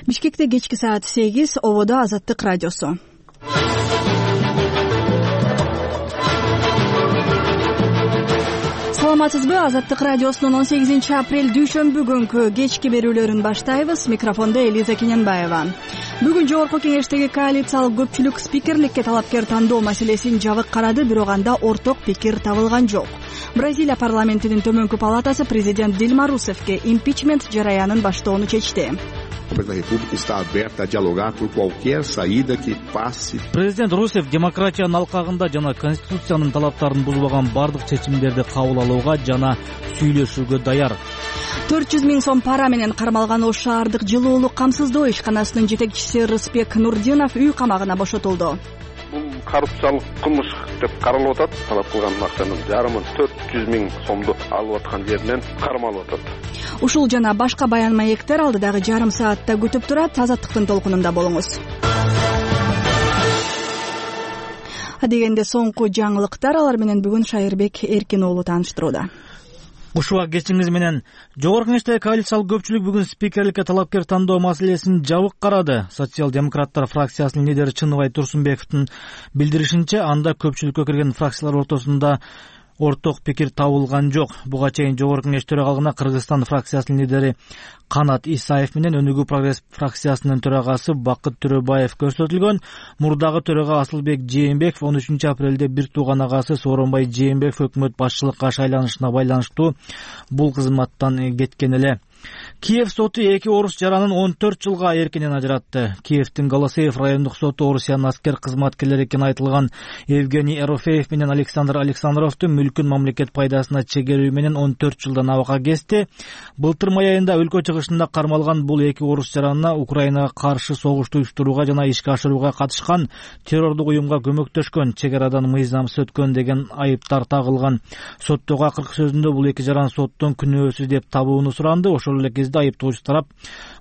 Бишкекте кечки саат 8, ободо Азаттык радиосу. Саламатсызбы? Азаттык радиосунун 18-апрель дүйшөмбү күнкү кечки берүүлөрүн баштайбыз. Микрофондо Элиза Кененбаева. Бүгүн жогорку кеңештеги коалициялык көпчүлүк спикерликке талапкер тандоо маселесин жабык карады, бирок анда орток пикир табылган жок. Бразилия парламентинин төмөнкү палатасы президент Дилма Русефке импичмент жараянын баштоону чечти. Президент Русеф демократиянын алкагында жана конституциянын талаптарын бузбаган бардык чечимдерди кабыл алууга жана сүйлөшүүгө даяр. 400 000 сом пара менен кармалган Ош шаардык жылуулук камсыздоо ишканасынын жетекчиси Рыспек Нурдинов үй камагына бошотулду. Бул коррупциялык кылмыш деп каралып атат. Талап кылган акчанын жарымын 400 000 сомду алып аткан жеринен кармалып атат. Ушул жана башка баян маектер алдыдагы жарым саатта күтүп турат. Азаттыктын толкунунда болуңуз. Адегенде соңку жаңылыктар, алар менен бүгүн Шайырбек Эркин уулу тааныштырууда. Ушуга кечиңиз менен жогорку кеңештеги коалициялык көпчүлүк бүгүн спикерликке талапкер тандоо маселесин жабык карады. Социал-демократтар фракциясынын лидери Чыныбай Турсунбековдун билдиришинче, анда көпчүлүккө кирген фракциялар ортосунда орток пикир табылган жок. Буга чейин жогорку кеңеш төрагалыгына Кыргызстан фракциясынын лидери Канат Исаев менен Өнүгүү прогресс фракциясынын төрагасы Бакыт Төрөбаев көрсөтүлгөн. Мурдагы төрага Асылбек Жээнбеков 13-апрелде бир тууган агасы Сооронбай Жээнбеков өкмөт башчылыкка шайланышына байланыштуу бул кызматтан кеткен эле. Киев соту эки орус жаранын 14 жылга эркинен ажыратты. Киевдин Голосеев райондук соту Орусиянын аскер кызматкерлери экени айтылган Евгений Эрофеев менен Александр Александровду мүлкүн мамлекет пайдасына чегерүү менен 14 жылдан абакка кести. Былтыр май айында өлкө чыгышында кармалган бул эки орус жаранына Украинага каршы согушту уюштурууга жана ишке ашырууга катышкан, террордук уюмга көмөктөшкөн, чек арадан мыйзамсыз өткөн деген айыптар тагылган. Соттогу акыркы сөзүндө бул эки жаран соттон күнөөсүз деп табууну суранды. Ошол эле кезде айыптоочу тарап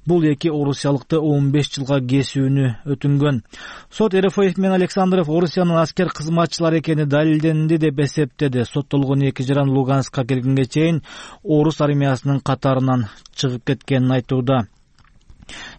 бул эки орусиялыкты 15 жылга кесүүнү өтүнгөн. Сот Эрофеев менен Александров Орусиянын аскер кызматчылары экени далилденди деп эсептеди. Соттолгон эки жаран Луганскка келгенге чейин орус армиясынын катарынан чыгып кеткенин айтууда.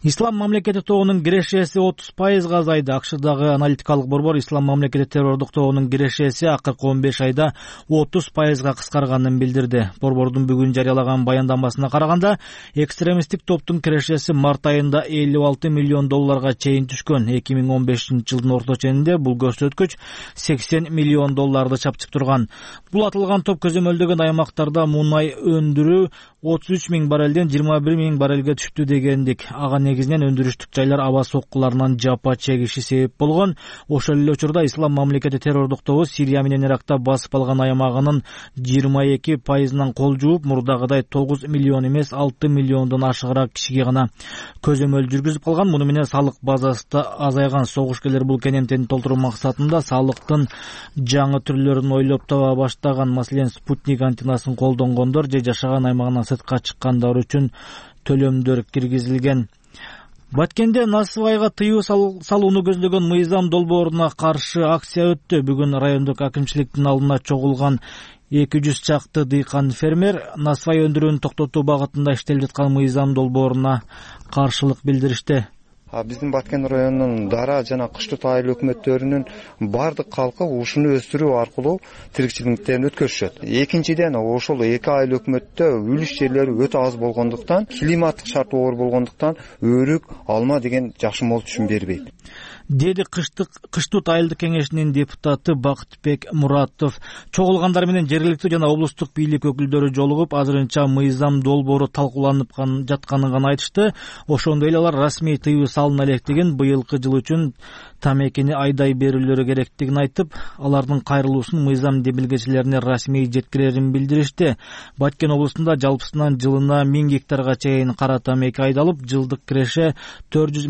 Ислам мамлекети тобунун кирешеси 30% азайды. АКШдагы аналитикалык борбор Ислам мамлекети террордук тобунун кирешеси акыркы 15 айда 30% кыскарганын билдирди. Борбордун бүгүн жарыялаган баяндамасына караганда, экстремисттик топтун кирешеси март айында $56 миллион чейин түшкөн. 2015-жылдын орто ченинде бул көрсөткүч $80 миллион чапчып турган. Бул атылган топ көзөмөлдөгөн аймактарда мунай өндүрүү 33 000 баррелден 21 000 баррелге түштү дегендик. Ага негизинен өндүрүштүк жайлар аба соккуларынан жапа чегиши себеп болгон. Ошол эле учурда Ислам мамлекети террордук тобу Сирия менен Иракта басып алган аймагынын 22%-нан кол жууп, мурдагыдай 9 миллион эмес 6 миллиондон ашыгыраак кишиге гана көзөмөл жүргүзүп калган. Муну менен салык базасы да азайган. Согушкерлер бул кенемтени толтуруу максатында салыктын жаңы түрлөрүн ойлоп таба баштаган. Маселен, спутник антеннасын колдонгондор же жашаган аймагынан сыртка чыккандар үчүн төлөмдөр киргизилген. Баткенде насыбайга тыюу салууну көздөгөн мыйзам долбооруна каршы акция өттү. Бүгүн райондук акимчиликтин алдына чогулган 200 чакты дыйкан фермер насыбай өндүрүүнү токтотуу багытында иштелип жаткан мыйзам долбооруна каршылык билдиришти. Биздин Баткен районунун дара жана кыштык айыл өкмөттөрүнүн бардык калкы ушуну өстүрүү аркылуу тиричиликтерин өткөрүшөт. Экинчиден, ошол эки айыл өкмөттө үлүш жерлери өтө аз болгондуктан, климаттык шарт оор болгондуктан өрүк, алма деген жакшы мол түшүм бербейт, деди Кыштык айылдык кеңешинин депутаты Бакытбек Муратов. Чогулгандар менен жергиликтүү жана облустук бийлик өкүлдөрү жолугуп, азырынча мыйзам долбоору талкууланып жатканын гана айтышты. Ошондой эле алар расмий тыюу салына электигин, быйылкы жыл үчүн тамекини айдай берүүлөрү керектигин айтып, алардын кайрылуусун мыйзам демилгечилерине расмий жеткирерин билдиришти. Баткен облусунда жалпысынан жылына 1000 гектарга чейин кара тамеки айдалып, жылдык киреше 400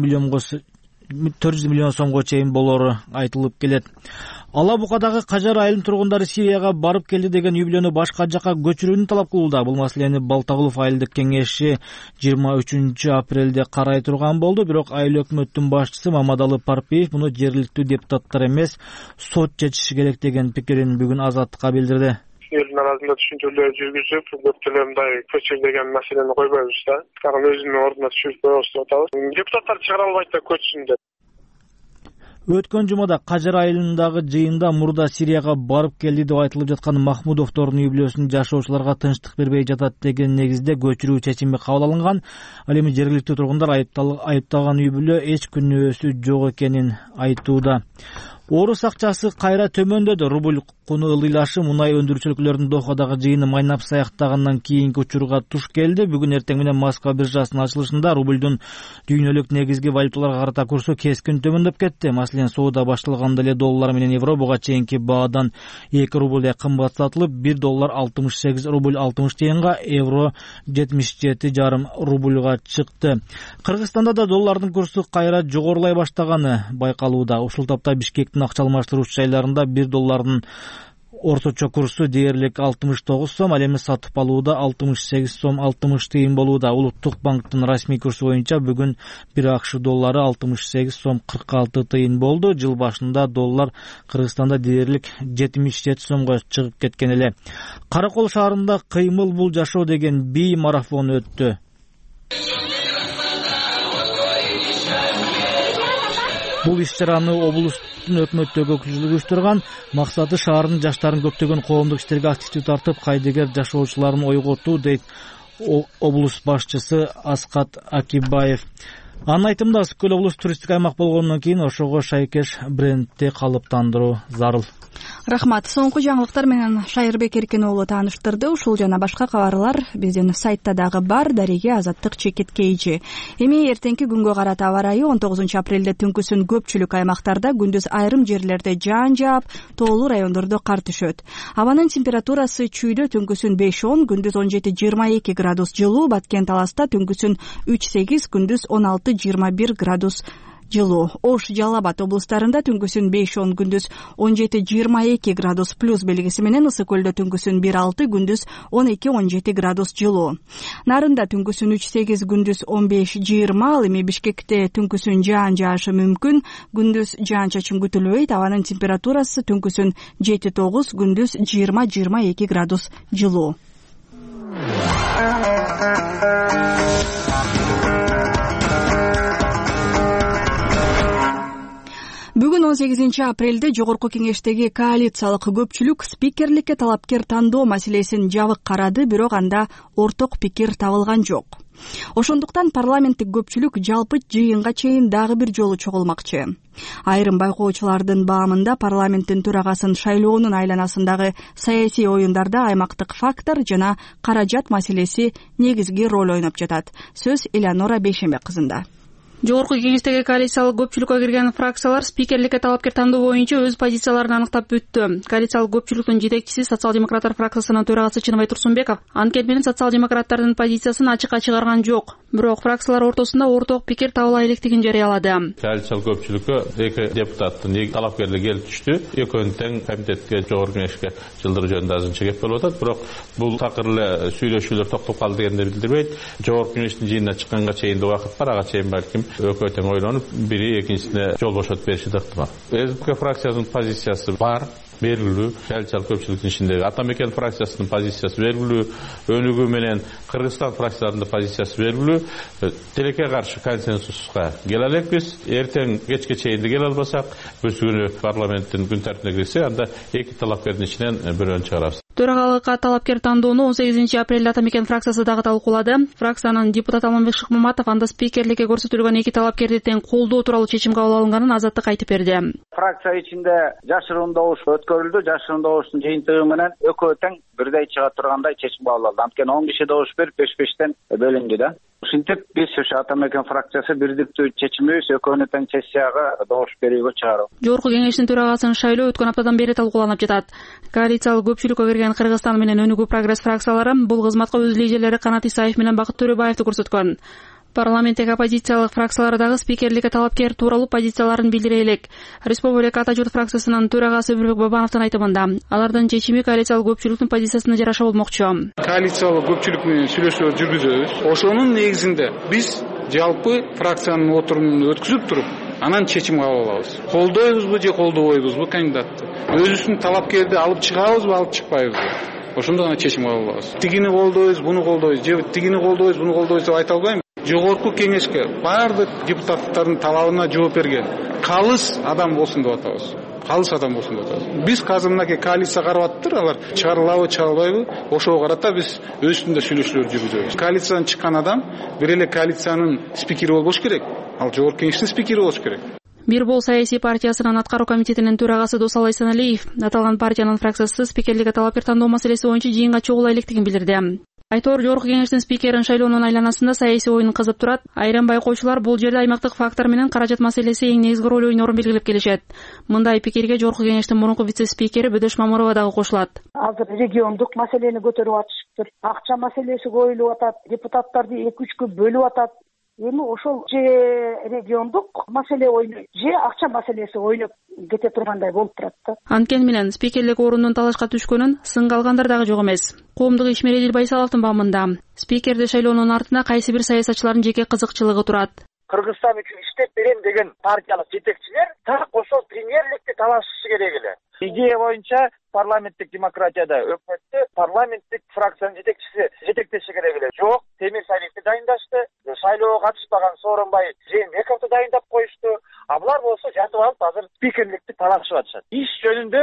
миллион сомго чейин болору айтылып келет. Алабукадагы Кажар айылынын тургундары Сирияга барып келди деген үй-бүлөнү башка жакка көчүрүүнү талап кылууда. Бул маселени Балтагулов айылдык кеңеши 23-апрелде карай турган болду, бирок айыл өкмөттүн башчысы Мамадалы Парпиев муну жергиликтүү депутаттар эмес, сот чечиши керек деген пикирин бүгүн Азаттыкка билдирди. элдин арасында түшүнчөлөр жүргүзүп көптөлө мындай көчүр деген маселени койбойбуз да. Аны өзүнүн ордуна түшүрүп коебуз деп атабыз. Депутаттар чыгара албайт да көчсүн деп. Өткөн жумада Кажыр айылындагы жыйында мурда Сирияга барып келди деп айтылып жаткан Махмудовдордун үй-бүлөсүн жашоочуларга тынчтык бербей жатат деген негизде көчүрүү чечими кабыл алынган. Ал эми жергиликтүү тургундар айыпталган үй-бүлө эч күнөөсү жок экенин айтууда. Орус акчасы кайра төмөндөдү. Рубль куну ылдыйлашы мунай өндүрүүчү өлкөлөрдүн Дохадагы жыйыны майнап саяктагандан кийинки учурга туш келди. Бүгүн эртең менен Москва биржасынын ачылышында рубльдун дүйнөлүк негизги валюталарга карата курсу кескин төмөндөп кетти. Маселен, соода башталганда эле доллар менен евро буга чейинки баадан 2 рубль кымбат сатылып, 1 доллар 68 рубль 60 тыйынга, евро 77,5 рубльга чыкты. Кыргызстанда да доллардын курсу кайра жогорулай баштаганы байкалууда. Ушул тапта Бишкектин акча алмаштыруучу жайларында 1 доллардын орточо курсу дээрлик 69 сом, ал эми сатып алууда 68 сом 60 тыйын болууда. Улуттук банктын расмий курсу боюнча бүгүн 1 акш доллары 68 сом 46 тыйын болду. Жыл башында доллар Кыргызстанда дээрлик 77 сомго чыгып кеткен эле. Каракол шаарында кыймыл бул жашоо деген бий марафон өттү. Бул иш-чараны облустун өкмөттөгү өкүлчүлүгү уюштурган. Максаты шаардын жаштарын көптөгөн коомдук иштерге активдүү тартып, кайдыгер жашоочуларын ойготуу, дейт облус башчысы Аскат Акибаев. Анын айтымында, Ысык көл облус туристтик аймак болгондон кийин ошого шайкеш брендти калыптандыруу зарыл. Рахмат. Соңку жаңылыктар менен Шайырбек Эркен уулу тааныштырды. Ушул жана башка кабарлар биздин сайтта дагы бар. Дареге Азаттык чекит кейжи. Эми эртеңки күнгө карата аба ырайы 19 апрелде түнкүсүн көпчүлүк аймактарда, күндүз айрым жерлерде жаан жаап, тоолуу райондордо кар түшөт. Абанын температурасы чүйдө түнкүсүн 5-10, күндүз 17-22 градус жылуу, Баткен Таласта түнкүсүн 3-8, күндүз 16-21 градус жылуу. Ош, Жалал Абад облустарында түнкүсүн 5-10, күндүз 17-22 градус плюс белгиси менен, Ысык көлдө түнкүсүн 1-6, күндүз 12-17 градус жылуу. Нарында түнкүсүн 3-8, күндүз 15-20, ал эми Бишкекте түнкүсүн жаан жаашы мүмкүн, күндүз жаан-чачын күтүлбөйт. Абанын температурасы түнкүсүн 7-9, күндүз 20-22 градус жылуу. Бүгүн 18 апрелде Жогорку Кеңештеги коалициялык көпчүлүк спикерликке талапкер тандоо маселесин жабык карады, бирок анда орток пикир табылган жок. Ошондуктан парламенттик көпчүлүк жалпы жыйынга чейин дагы бир жолу чогулмакчы. Айрым байкоочулардын баамында парламенттин төрагасын шайлоонун айланасындагы саясий оюндарда аймактык фактор жана каражат маселеси негизги роль ойноп жатат. Сөз Элеонора Бейшембек кызында. Жогорку Кеңештеги коалициялык көпчүлүккө кирген фракциялар спикерликке талапкер тандоо боюнча өз позицияларын аныктап бүттү. Коалициялык көпчүлүктүн жетекчиси социал-демократтар фракциясынын төрагасы Чыныбай Турсунбеков анткени менен социал-демократтардын позициясын ачыкка чыгарган жок. Бирок фракциялар ортосунда орток пикир табыла электигин жарыялады. Коалициялык көпчүлүккө эки депутаттын талапкерлери келип түштү. Экөөнү тең комитетке, Жогорку Кеңешке жылдыруу жөнүндө азырынча кеп болуп атат. Бирок бул такыр эле сүйлөшүүлөр токтоп калды дегенди билдирбейт. Жогорку Кеңештин жыйынына чыкканга чейин убакыт бар, ага чейин балким экөө тең ойлонуп, бири экинчисине жол бошотуп бериши ыктымал. СДП фракциясынын позициясы бар, белгилүү. Коалициялык көпчүлүктүн ичиндеги Ата Мекен фракциясынын позициясы белгилүү, Өнүгүү менен Кыргызстан фракцияларынын позициясы белгилүү. Тилекке каршы консенсуска келе элекпиз. Эртең кечке чейин келе албасак, бүт күнү парламенттин күн тартибине кирсе, анда эки талапкердин ичинен бирөөнү чыгарабыз. Төрагалыкка талапкер тандоону 18 апрелде Ата Мекен фракциясы дагы талкуулады. Фракциянын депутаты Алмамбек Шыкмаматов анда спикерликке көрсөтүлгөн эки талапкерди тең колдоо тууралуу чечим кабыл алынганын Азаттык айтып берди. Фракция ичинде жашыруун добуш өткөрүлдү. Жашыруун добуштун жыйынтыгы менен экөө тең бирдей чыга тургандай чечим кабыл алды. Анткени 10 киши добуш берип 5-5тен бөлүндү да. Ушинтип биз Ата Мекен фракциясы бирдиктүү чечимибиз экөөнү тең сессияга добуш берүүгө чыгаруу. Жогорку Кеңештин төрагасынын шайлоо өткөн аптадан бери талкууланып жатат. Коалициялык көпчүлүккө кирген Кыргызстан менен Өнүгүү Прогресс фракциялары бул кызматка өз лидерлери Канат Исаев менен Бакыт Төрөбаевди көрсөткөн. Парламенттеги оппозициялык фракциялар дагы спикерликке талапкер тууралуу позицияларын билдире элек. Республика Ата Журт фракциясынын төрагасы Өмүрбек Бабановдун айтымында, алардын чечими коалициялык көпчүлүктүн позициясына жараша болмокчу. Коалициялык көпчүлүк менен сүйлөшүүлөр жүргүзөбүз. Ошонун негизинде биз жалпы фракциянын отурумун өткүзүп туруп, анан чечим кабыл алабыз. Колдойбузбу же колдобойбузбу кандидатты? Өзүбүздүн талапкерди алып чыгабызбы, алып чыкпайбызбы? ошондо гана чечим кабыл алабыз. Тигини колдойбуз, буну колдойбуз, же тигини колдойбуз, буну колдойбуз деп айта албайм. Жогорку кеңешке баардык депутаттардын талабына жооп берген калыс адам болсун деп атабыз. Калыс адам болсун деп атабыз. Биз азыр мынакей коалиция карап атыптыр, алар чыгарылабы, чыгарылбайбы, ошого карата биз өз үстүндө сүйлөшүүлөр жүргүзөбүз. Коалициядан чыккан адам бир эле коалициянын спикери болбош керек. Ал жогорку кеңештин спикери болуш керек. Бир Бол саясий партиясынын аткаруу комитетинин төрагасы Досалай Саналиев аталган партиянын фракциясы спикерликке талапкер тандоо маселеси боюнча жыйынга чогула электигин билдирди. Айтор жогорку кеңештин спикерин шайлоонун айланасында саясий оюн кызып турат. Айрым байкоочулар бул жерде аймактык фактор менен каражат маселеси эң негизги роль ойнорун белгилеп келишет. Мындай пикирге жогорку кеңештин мурунку вице-спикери Бөдөш Мамурова дагы кошулат. Азыр региондук маселени көтөрүп атышыптыр. Акча маселеси коюлуп атат, депутаттарды 2-3кө бөлүп атат. Эми ошол же региондук маселе ойнойт, же акча маселеси ойноп кете тургандай болуп турат да. Анткени менен спикерлик орунун талашка түшкөнүн сынга алгандар дагы жок эмес. Коомдук ишмер Эдил Байсаловдун баамында спикерди шайлоонун артында кайсы бир саясатчылардын жеке кызыкчылыгы турат. Кыргызстан үчүн иштеп берем деген партиялык жетекчилер так ошол премьерликти талашышы керек эле. Идея боюнча парламенттик демократияда өкмөттү парламенттик фракциянын жетекчиси жетектеши керек эле. Жок, Темир Салиевди дайындашты, шайлоого катышпаган Сооронбай Жээнбековду дайындап коюшту. А булар болсо жатып алып азыр спикерликти талашып атышат. Иш жөнүндө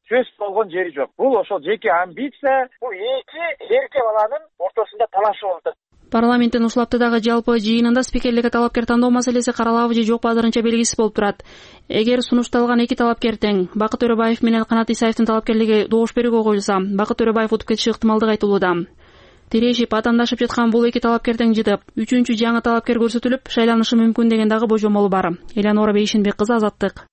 сөз болгон жери жок. Бул ошол жеке амбиция, бул эки эрке баланын ортосунда талашып болуп. Парламенттин ушул аптадагы жалпы жыйынында спикерликке талапкер тандоо маселеси каралабы же жок азырынча белгисиз болуп турат. Эгер сунушталган эки талапкер тең Бакыт Төрөбаев менен Канат Исаевдин талапкерлиги добуш берүүгө коюлса, Бакыт Төрөбаев утуп кетиши ыктымалдыгы айтылууда. Тирешип, атаандашып жаткан бул эки талапкер тең жытып, үчүнчү жаңы талапкер көрсөтүлүп, шайланышы мүмкүн деген дагы божомолу бар. Элянора Бейшенбек кызы, Азаттык.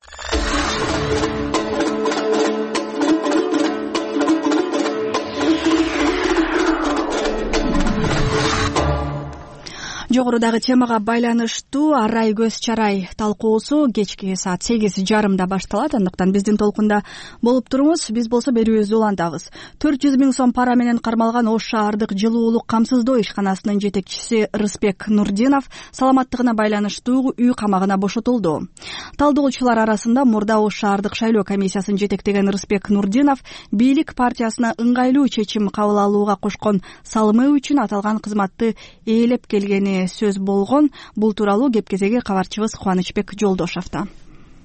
Жогорудагы темага байланыштуу арай көз чарай талкуусу кечки саат 8:30 башталат. Андыктан биздин толкунда болуп туруңуз. Биз болсо берүүбүздү улантабыз. 400 000 сом пара менен кармалган Ош шаардык жылуулук камсыздоо ишканасынын жетекчиси Рыспек Нурдинов саламаттыгына байланыштуу үй камагына бошотулду. Талдоочулар арасында мурда Ош шаардык шайлоо комиссиясын жетектеген Рыспек Нурдинов бийлик партиясына ыңгайлуу чечим кабыл алууга кошкон салымы үчүн аталган кызматты ээлеп келгени сөз болгон. Бул тууралуу кепкезеги кабарчыбыз Кубанычбек Жолдошовдо.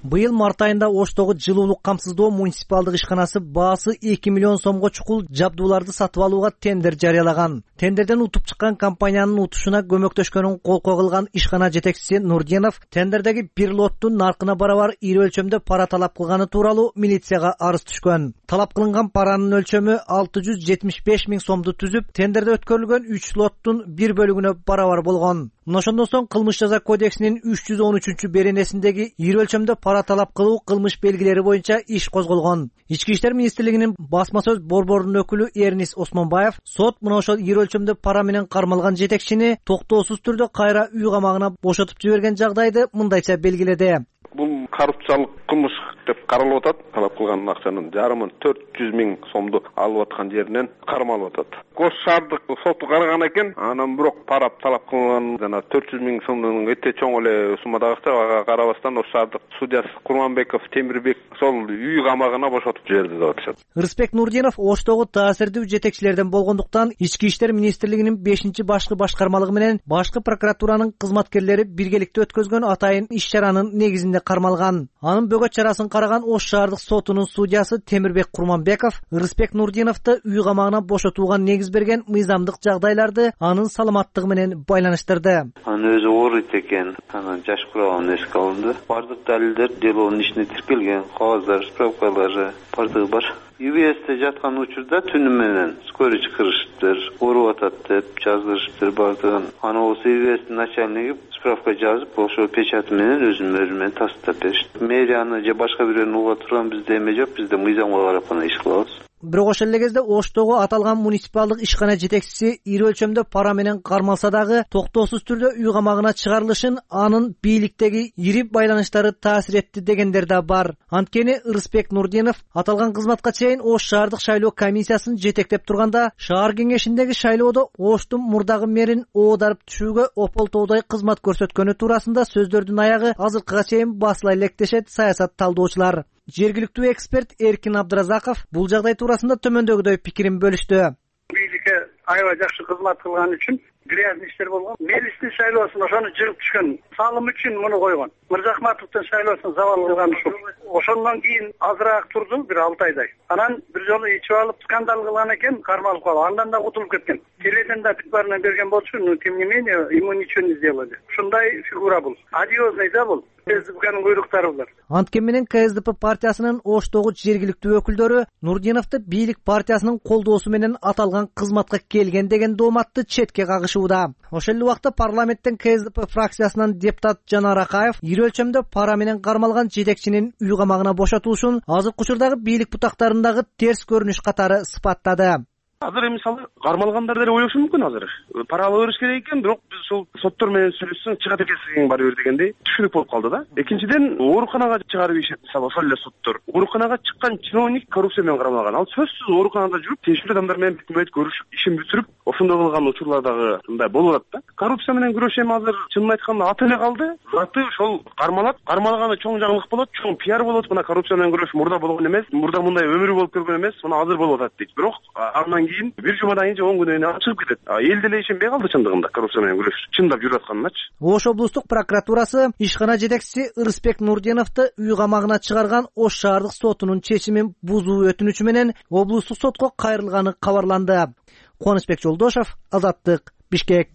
Быйыл март айында Оштогу жылуулук камсыздоо муниципалдык ишканасы баасы 2 миллион сомго чукул жабдууларды сатып алууга тендер жарыялаган. Тендерден утуп чыккан компаниянын утушуна көмөктөшкөнүн колкоо кылган ишкана жетекчиси Нурдинов тендердеги бир лоттун наркына барабар ири өлчөмдө пара талап кылганы тууралуу милицияга арыз түшкөн. Талап кылынган паранын өлчөмү 675 000 сомду түзүп, тендерде өткөрүлгөн 3 лоттун бир бөлүгүнө барабар болгон. Ошондон соң кылмыш жаза кодексинин 313 беренесиндеги ири өлчөмдө пара талап кылуу кылмыш белгилери боюнча иш козголгон. Ички иштер министрлигинин басма сөз борборунун өкүлү Эрнис Осмонбаев сот мына ошол ири өлчөмдө пара менен кармалган жетекчини токтоосуз түрдө кайра үй камагына бошотуп жиберген жагдайды мындайча белгиледи. Бул коррупциялык кылмыш деп каралып атат. Талап кылган акчанын жарымын 400 000 сомду алып аткан жеринен кармалып атат. Ош шаардык соту караган экен, анан бирок пара талап кылган жана 400 000 сомдун өтө чоң эле суммадагы акчага карабастан Ош шаардык судьясы Курманбеков Темирбек сол үй камагына бошотуп жиберди деп атышат. Рыспек Нурдинов Оштогу таасирдүү жетекчилерден болгондуктан Ички иштер министрлигинин 5-башкы башкармалыгы менен башкы прокуратуранын кызматкерлери биргеликте өткөзгөн атайын иш-чаранын негизинде кармалган. Анын бөгөт чарасын караган Ош шаардык сотунун судьясы Темирбек Курманбеков Рыспек Нурдиновду үй камагына бошотууга негиз берген мыйзамдык жагдайларды анын саламаттыгы менен байланыштырды. Анын өзү ооруйт экен, анан жаш кураган эске алынды. Бардык далилдер делонун ичине тиркелген, кагаздар, справкалары бардыгы бар. ЮВСте жаткан учурда түнү менен скорый чакырышыптыр, ооруп атат деп жаздырышыптыр бардыгын. Аны болсо ЮВСтин начальниги справка жазып, ошо печаты менен өзүнүн мөрү менен тастап беришти. Мэрияны же башка бирөөнү уга турган бизде эме жок, бизде мыйзамга карап гана иш кылабыз. Бирок ошол эле кезде Оштогу аталган муниципалдык ишкана жетекчиси ири өлчөмдө пара менен кармалса дагы токтоосуз түрдө үй камагына чыгарылышын анын бийликтеги ири байланыштары таасир этти дегендер да бар. Анткени Рыспек Нурдинов аталган кызматка чейин Ош шаардык шайлоо комиссиясын жетектеп турганда шаар кеңешиндеги шайлоодо Оштун мурдагы мэрин оодарып түшүүгө ополтоодой кызмат көрсөткөнү туурасында сөздөрдүн аягы азыркыга чейин басыла электешет саясат талдоочулар. жергиликтүү эксперт Эркин Абдыразаков бул жагдай туурасында төмөндөгүдөй пикирин бөлүштү. Бийликке аябай жакшы кызмат кылган үчүн грязный иштер болгон. Мелистин шайлоосун ошону жыгып түшкөн салым үчүн муну койгон. Мырзахматовдун шайлоосун завал кылган ушул. Ошондон кийин азыраак турду, бир 6 айдай. Анан бир жолу ичип алып скандал кылган экен, кармалып калып, андан да кутулуп кеткен. Теледен да тыкбарынан берген болчу, но тем не менее ему ничего не сделали. Ушундай фигура бул. Одиозный да бул. КСДПнын буйруктары булар. Анткени менен КСДП партиясынын Оштогу жергиликтүү өкүлдөрү Нурдиновду бийлик партиясынын колдоосу менен аталган кызматка келген деген дооматты четке кагышууда. Ошол эле убакта парламенттен КСДП фракциясынан депутат Жанар Акаев ири өлчөмдө пара менен кармалган жетекчинин үй камагына бошотулушун азыркы учурдагы бийлик бутактарындагы терс көрүнүш катары сыпаттады. Азыр мисалы кармалгандар деле ойлошу мүмкүн азыр. Пара ала бериш керек экен, бирок биз ушул соттор менен сүйлөшсөң чыгат экенсиң бара бер дегендей түшүнүк болуп калды да. Экинчиден, ооруканага чыгарып ийишет, мисалы ошол эле соттор. Ооруканага чыккан чиновник коррупция менен кармалган. Ал сөзсүз ооруканада жүрүп, тиешелүү адамдар менен бүт көрүшүп, ишин бүтүрүп, ошондой кылган учурлар дагы мындай болуп атат да. Коррупция менен күрөш эми азыр чынын айтканда аты эле калды. Заты ошол кармалганы чоң жаңылык болот, чоң пиар болот. Мына коррупция менен күрөш мурда болгон эмес, мурда мындай өмүрү болуп көргөн эмес, мына азыр болуп атат дейт. Бирок андан кийин бир жумадан кийин же 10 күнөн кийин чыгып кетет. Эл деле ишенбей калды чындыгында коррупция менен күрөш чындап жүрүп атканыначы. Ош облустук прокуратурасы ишкана жетекчиси Ырысбек Нурдиновду үй камагына чыгарган Ош шаардык сотунун чечимин бузуу өтүнүчү менен облустук сотко кайрылганы кабарланды. Кубанычбек Жолдошов, Азаттык, Бишкек.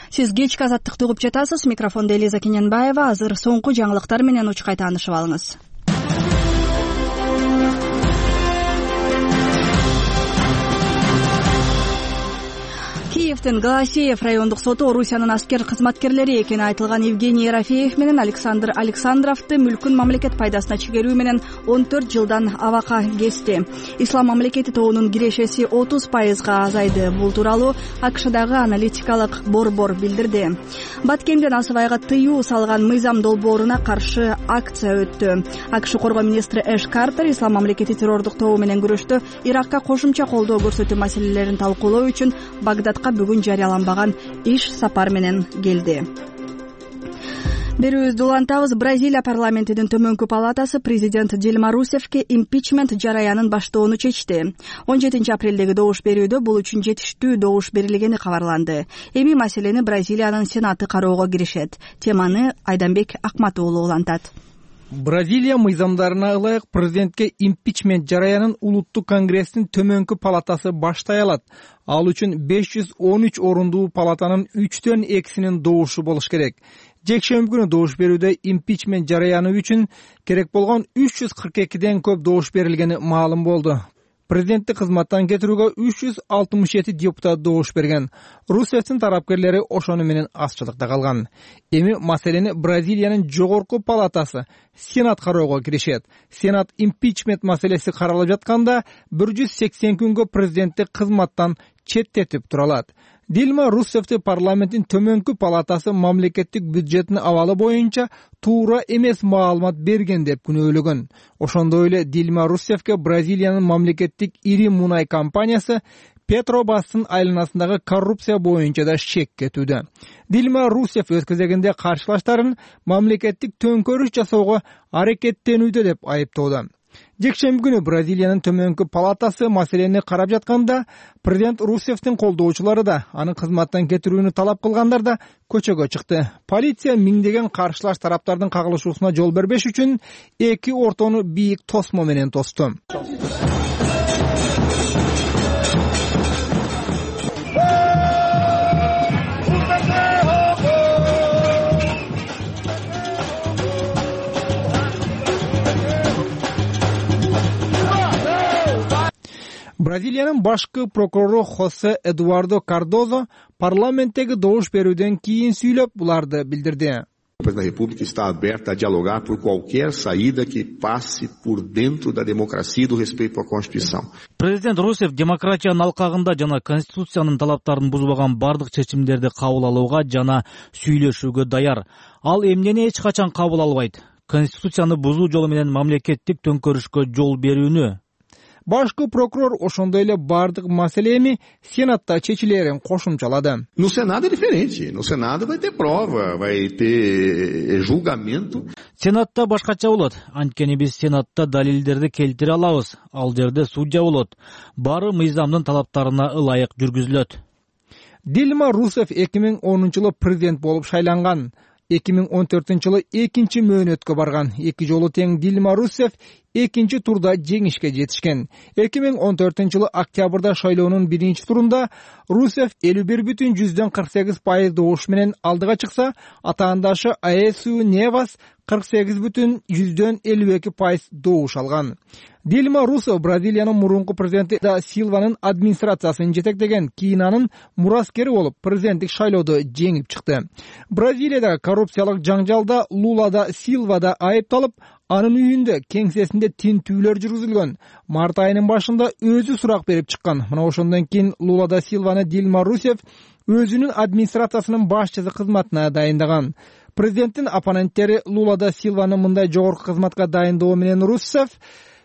Сиз кечки Азаттыкты угуп жатасыз. Микрофондо Элиза Кененбаева. Азыр соңку жаңылыктар менен учкай таанышып алыңыз. Киевдин Голосеев райондук соту Орусиянын аскер кызматкерлери экени айтылган Евгений Ерофеев менен Александр Александровду мүлкүн мамлекет пайдасына чегерүү менен 14 жылдан абакка кести. Ислам мамлекети тобунун кирешеси 30% азайды. Бул тууралуу АКШдагы аналитикалык борбор билдирди. Баткенден Асыбайга тыюу салган мыйзам долбооруна каршы акция өттү. АКШ коргоо министри Эш Картер Ислам мамлекети террордук тобу менен күрөштө Иракка кошумча колдоо көрсөтүү маселелерин талкуулоо үчүн Багдадка бүгүн жарыяланбаган иш сапар менен келди. Берүүбүздү улантабыз. Бразилия парламентинин төмөнкү палатасы президент Дильма Русефке импичмент жараянын баштоону чечти. 17 апрелдеги добуш берүүдө бул үчүн жетиштүү добуш берилгени кабарланды. Эми маселени Бразилиянын сенаты кароого киришет. Теманы Айданбек Акматуулу улантат. Бразилия мыйзамдарына ылайык президентке импичмент жараянын улуттук конгресстин төмөнкү палатасы баштай алат. Ал үчүн 513 орундуу палатанын 3төн 2синин добушу болуш керек. Жекшемби күнү добуш берүүдө импичмент жараяны үчүн керек болгон 342ден көп добуш берилгени маалым болду. Президентти кызматтан кетирүүгө 367 депутат добуш берген. Русефтин тарапкерлери ошону менен азчылыкта калган. Эми маселени Бразилиянын жогорку палатасы Сенат кароого киришет. Сенат импичмент маселеси каралып жатканда 180 күнгө президентти кызматтан четтетип тура алат. Дильма Русефти парламенттин төмөнкү палатасы мамлекеттик бюджеттин абалы боюнча туура эмес маалымат берген деп күнөөлөгөн. Ошондой эле Дильма Русефке Бразилиянын мамлекеттик ири мунай компаниясы Петробастын айланасындагы коррупция боюнча да шек кетүүдө. Дильма Русеф өз кезегинде каршылаштарын мамлекеттик төңкөрүш жасоого аракеттенүүдө деп айыптоодо. Жекшемби күнү Бразилиянын төмөнкү палатасы маселени карап жатканда президент Русефтин колдоочулары да анын кызматтан кетирүүнү талап кылгандар да көчөгө чыкты. Полиция миңдеген каршылаш тараптардын кагылышуусуна жол бербеш үчүн эки ортону бийик тосмо менен тосту. Бразилиянын башкы прокурору Хосе Эдуардо Кардозо парламенттеги добуш берүүдөн кийин сүйлөп буларды билдирди. A República está aberta a dialogar por qualquer saída que passe por dentro da democracia e do respeito à Constituição. Президент Русеф демократиянын алкагында жана конституциянын талаптарын бузбаган бардык чечимдерди кабыл алууга жана сүйлөшүүгө даяр. Ал эмнени эч качан кабыл албайт? Конституцияны бузуу жолу менен мамлекеттик төңкөрүшкө жол берүүнү. Башкы прокурор ошондой эле бардык маселе эми Сенатта чечилерин кошумчалады. No Senado é diferente. No Senado vai ter prova, vai ter julgamento. Сенатта башкача болот. Анткени биз Сенатта далилдерди келтире алабыз. Ал жерде судья болот. Баары мыйзамдын талаптарына ылайык жүргүзүлөт. Дилма Русев 2010-жылы президент болуп шайланган. 2014-жылы экинчи мөөнөткө барган. Эки жолу тең Дилма Русев экинчи турда жеңишке жетишкен. 2014-жылы октябрда шайлоонун биринчи турунда Русев 51,48% добуш менен алдыга чыкса, атаандашы Аэсу Невас 48,52% добуш алган. Дилма Русев Бразилиянын мурунку президенти да Силванын администрациясын жетектеген, кийин анын мураскери болуп президенттик шайлоодо жеңип чыкты. Бразилияда коррупциялык жаңжалда Лула да Силва да айыпталып, анын үйүндө кеңсесинде тинтүүлөр жүргүзүлгөн. Март айынын башында өзү сурак берип чыккан. Мына ошондон кийин Лула да Силваны Дилма Русев өзүнүн администрациясынын башчысы кызматына дайындаган. Президенттин оппоненттери Лула да Силваны мындай жогорку кызматка дайындоо менен Русев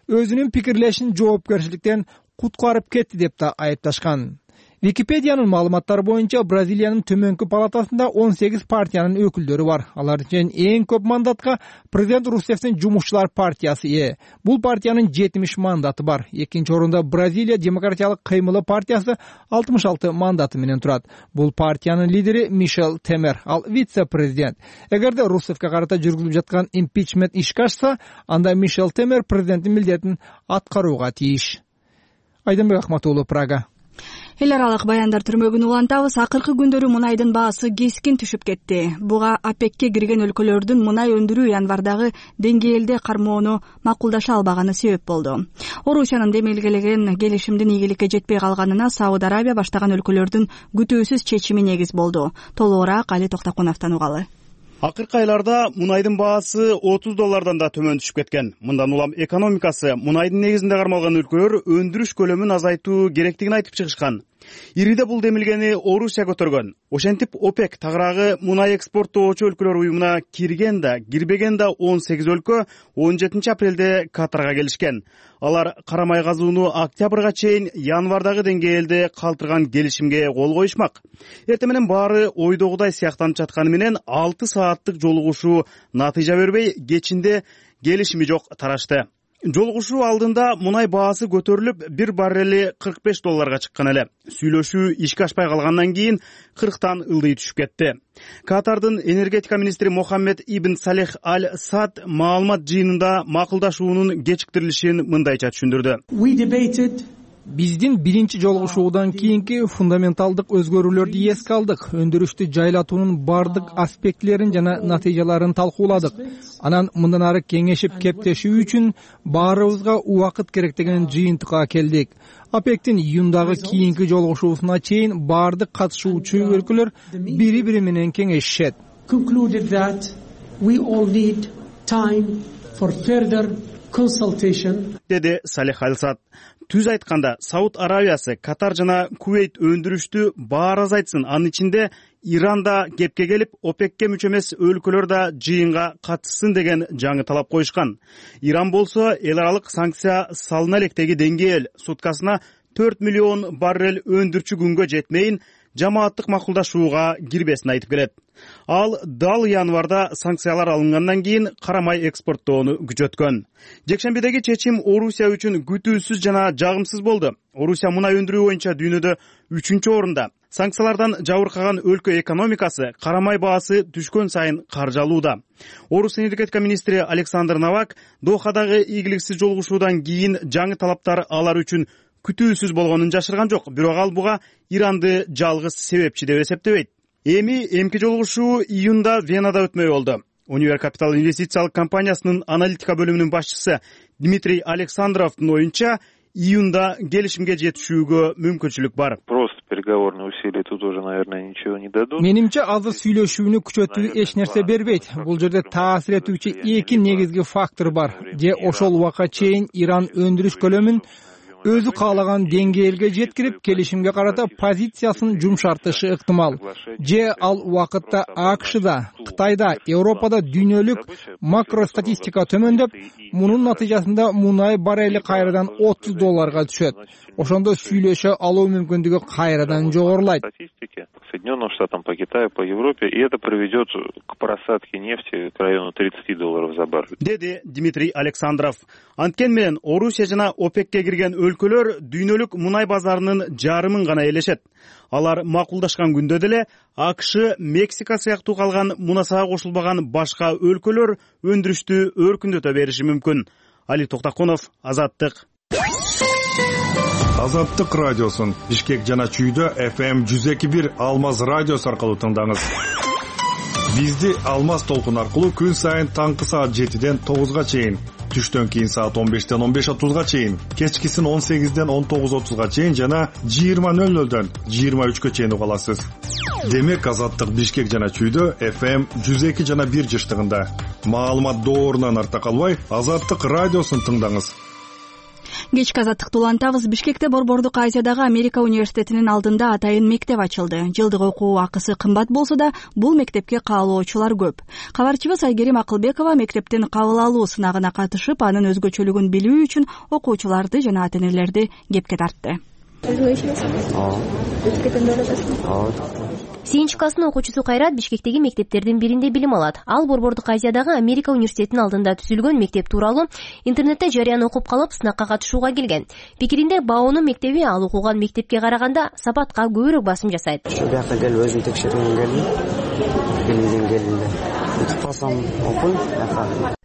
өзүнүн пикирлешин жоопкерчиликтен куткарып кетти деп да айыпташкан. Википедиянын маалыматтары боюнча Бразилиянын төмөнкү палатасында 18 партиянын өкүлдөрү бар. Алардын эң көп мандатка президент Русевдин Жумушчулар партиясы ээ. Бул партиянын 70 мандаты бар. Экинчи орунда Бразилия демократиялык кыймылы партиясы 66 мандаты менен турат. Бул партиянын лидери Мишел Темер, ал вице-президент. Эгерде Русевке карата жүргүзүлүп жаткан импичмент ишке ашса, анда Мишел Темер президенттин милдетин аткарууга тийиш. Айдынбек Ахматуулу, Прага. Эл аралык баяндар түрмөгүн улантабыз. Акыркы күндөрү мунайдын баасы кескин түшүп кетти. Буга ОПЕКке кирген өлкөлөрдүн мунай өндүрүү январдагы деңгээлде кармоону макулдаша албаганы себеп болду. Орусиянын демелгелеген келишимдин ийгиликке жетпей калганына Сауд Арабия баштаган өлкөлөрдүн күтүүсүз чечими негиз болду. Толугураак Али Токтокуновдон угалы. Акыркы айларда мунайдын баасы $30 да төмөн түшүп кеткен. Мындан улам экономикасы мунайдын негизинде кармалган өлкөлөр өндүрүш көлөмүн азайтуу керектигин айтып чыгышкан. Ириде бул демилгени Орусия көтөргөн. Ошентип ОПЕК тагыраагы мунай экспорттоочу өлкөлөр уюмуна кирген да, кирбеген да 18 өлкө 17 апрелде Катарга келишкен. Алар карамай казууну октябрга чейин январдагы деңгээлде калтырган келишимге кол коюшмак. Эртең менен баары ойдогудай сыяктанып жатканы менен 6 сааттык жолугушуу натыйжа бербей, кечинде келишими жок тарашты. Жолугушуу алдында мунай баасы көтөрүлүп, bir баррели $45 чыккан эле. Сүйлөшүү ишке ашпай калгандан кийин 40тан ылдый түшүп кетти. Катардын энергетика министри Мохаммед ибн Салех аль Сад маалымат жыйынында макулдашуунун кечиктирилишин мындайча түшүндүрдү. Биздин биринчи жолугушуудан кийинки фундаменталдык өзгөрүүлөрдү эске алдык. Өндүрүштү жайлатуунун бардык аспектилерин жана натыйжаларын талкууладык. Анан мындан ары кеңешип кептешүү үчүн баарыбызга убакыт керек деген жыйынтыкка келдик. ОПЕКтин июндагы кийинки жолугушуусуна чейин бардык катышуучу өлкөлөр бири-бири менен кеңешишет. Деди Салех аль Сад. Түз айтканда, Сауд Арабиясы, Катар жана Кувейт өндүрүштү баар азайтсын. Анын ичинде Иран да кепке келип, ОПЕКке мүчө эмес өлкөлөр да жыйынга катышсын деген жаңы талап коюшкан. Иран болсо эл аралык санкция салына электеги деңгээл суткасына 4 миллион баррель өндүрчү күнгө жетмейин жамааттык макулдашууга кирбесин айтып келет. Ал дал январда санкциялар алынгандан кийин карамай экспорттоону күчөткөн. Жекшембидеги чечим Орусия үчүн күтүүсүз жана жагымсыз болду. Орусия мунай өндүрүү боюнча дүйнөдө 3-чү орунда. Санкциялардан жабыркаган өлкө экономикасы карамай баасы түшкөн сайын каржалууда. Орус энергетика министри Александр Новак Дохадагы ийгиликсиз жолугушуудан кийин жаңы талаптар алар үчүн күтүүсүз болгонун жашырган жок. Бирок ал буга Иранды жалгыз себепчи деп эсептебейт. Эми эмки жолугушуу июнда Венада өтмөй болду. Универ Капитал инвестициялык компаниясынын аналитика бөлүмүнүн башчысы Дмитрий Александровдун оюнча, июнда келишимге жетишүүгө мүмкүнчүлүк бар. Просто переговорные усилия тут уже, наверное, ничего не дадут. Менимче азыр сүйлөшүүнү күчөтүү эч нерсе бербейт. Бул жерде таасир этүүчү эки негизги фактор бар. Же ошол убакка чейин Иран өндүрүш көлөмүн өзү каалаган деңгээлге жеткирип, келишимге карата позициясын жумшартышы ыктымал. Же ал убакытта АКШда, Кытайда, Европада дүйнөлүк макростатистика төмөндөп, мунун натыйжасында мунай баррели кайрадан $30 түшөт. Ошондо сүйлөшө алуу мүмкүндүгү кайрадан жогорулайт. Соединенным Штатам, по Китаю, по Европе, и это приведет к просадке нефти к району $30 за баррель. Деди Дмитрий Александров. Анткен менен Орусия жана ОПЕКке кирген өлкөлөр дүйнөлүк мунай базарынын жарымын гана ээлешет. Алар макулдашкан күндө деле АКШ, Мексика сыяктуу калган мунасага кошулбаган башка өлкөлөр өндүрүштү өркүндөтө бериши мүмкүн. Али Токтакунов, Азаттык. Азаттык радиосун Бишкек жана Чүйдө FM 102.1 Алмаз радиосу аркылуу тыңдаңыз. Бизди Алмаз толкун аркылуу күн сайын таңкы саат 7ден 9га чейин, түштөн кийин саат 15ден 15:30га чейин, кечкисин 18ден 19:30га чейин жана 20:00дөн 23ге чейин уга аласыз. Демек Азаттык Бишкек жана Чүйдө FM 102 жана 1 жыштыгында. Маалымат доорунан арта калбай, Азаттык радиосун тыңдаңыз. Кечки азаттыкты улантабыз. Бишкекте Борбордук Азиядагы Америка университетинин алдында атайын мектеп ачылды. Жылдык окуу акысы кымбат болсо да, бул мектепке каалоочулар көп. Кабарчыбыз Айгерим Акылбекова мектептин кабыл алуу сынагына катышып, анын өзгөчөлүгүн билүү үчүн окуучуларды жана ата-энелерди кепке тартты. Сегизинчи класстын окуучусу Кайрат Бишкектеги мектептердин биринде билим алат. Ал Борбордук Азиядагы Америка университетинин алдында түзүлгөн мектеп тууралуу интернетте жарыяны окуп калып, сынакка катышууга келген. Пикиринде БАОнун мектеби ал окуган мектепке караганда сапатка көбүрөөк басым жасайт. Ушу жакка келип өзүм текшергем келдим. Билимдин келинде. Утуп калсам окуйм.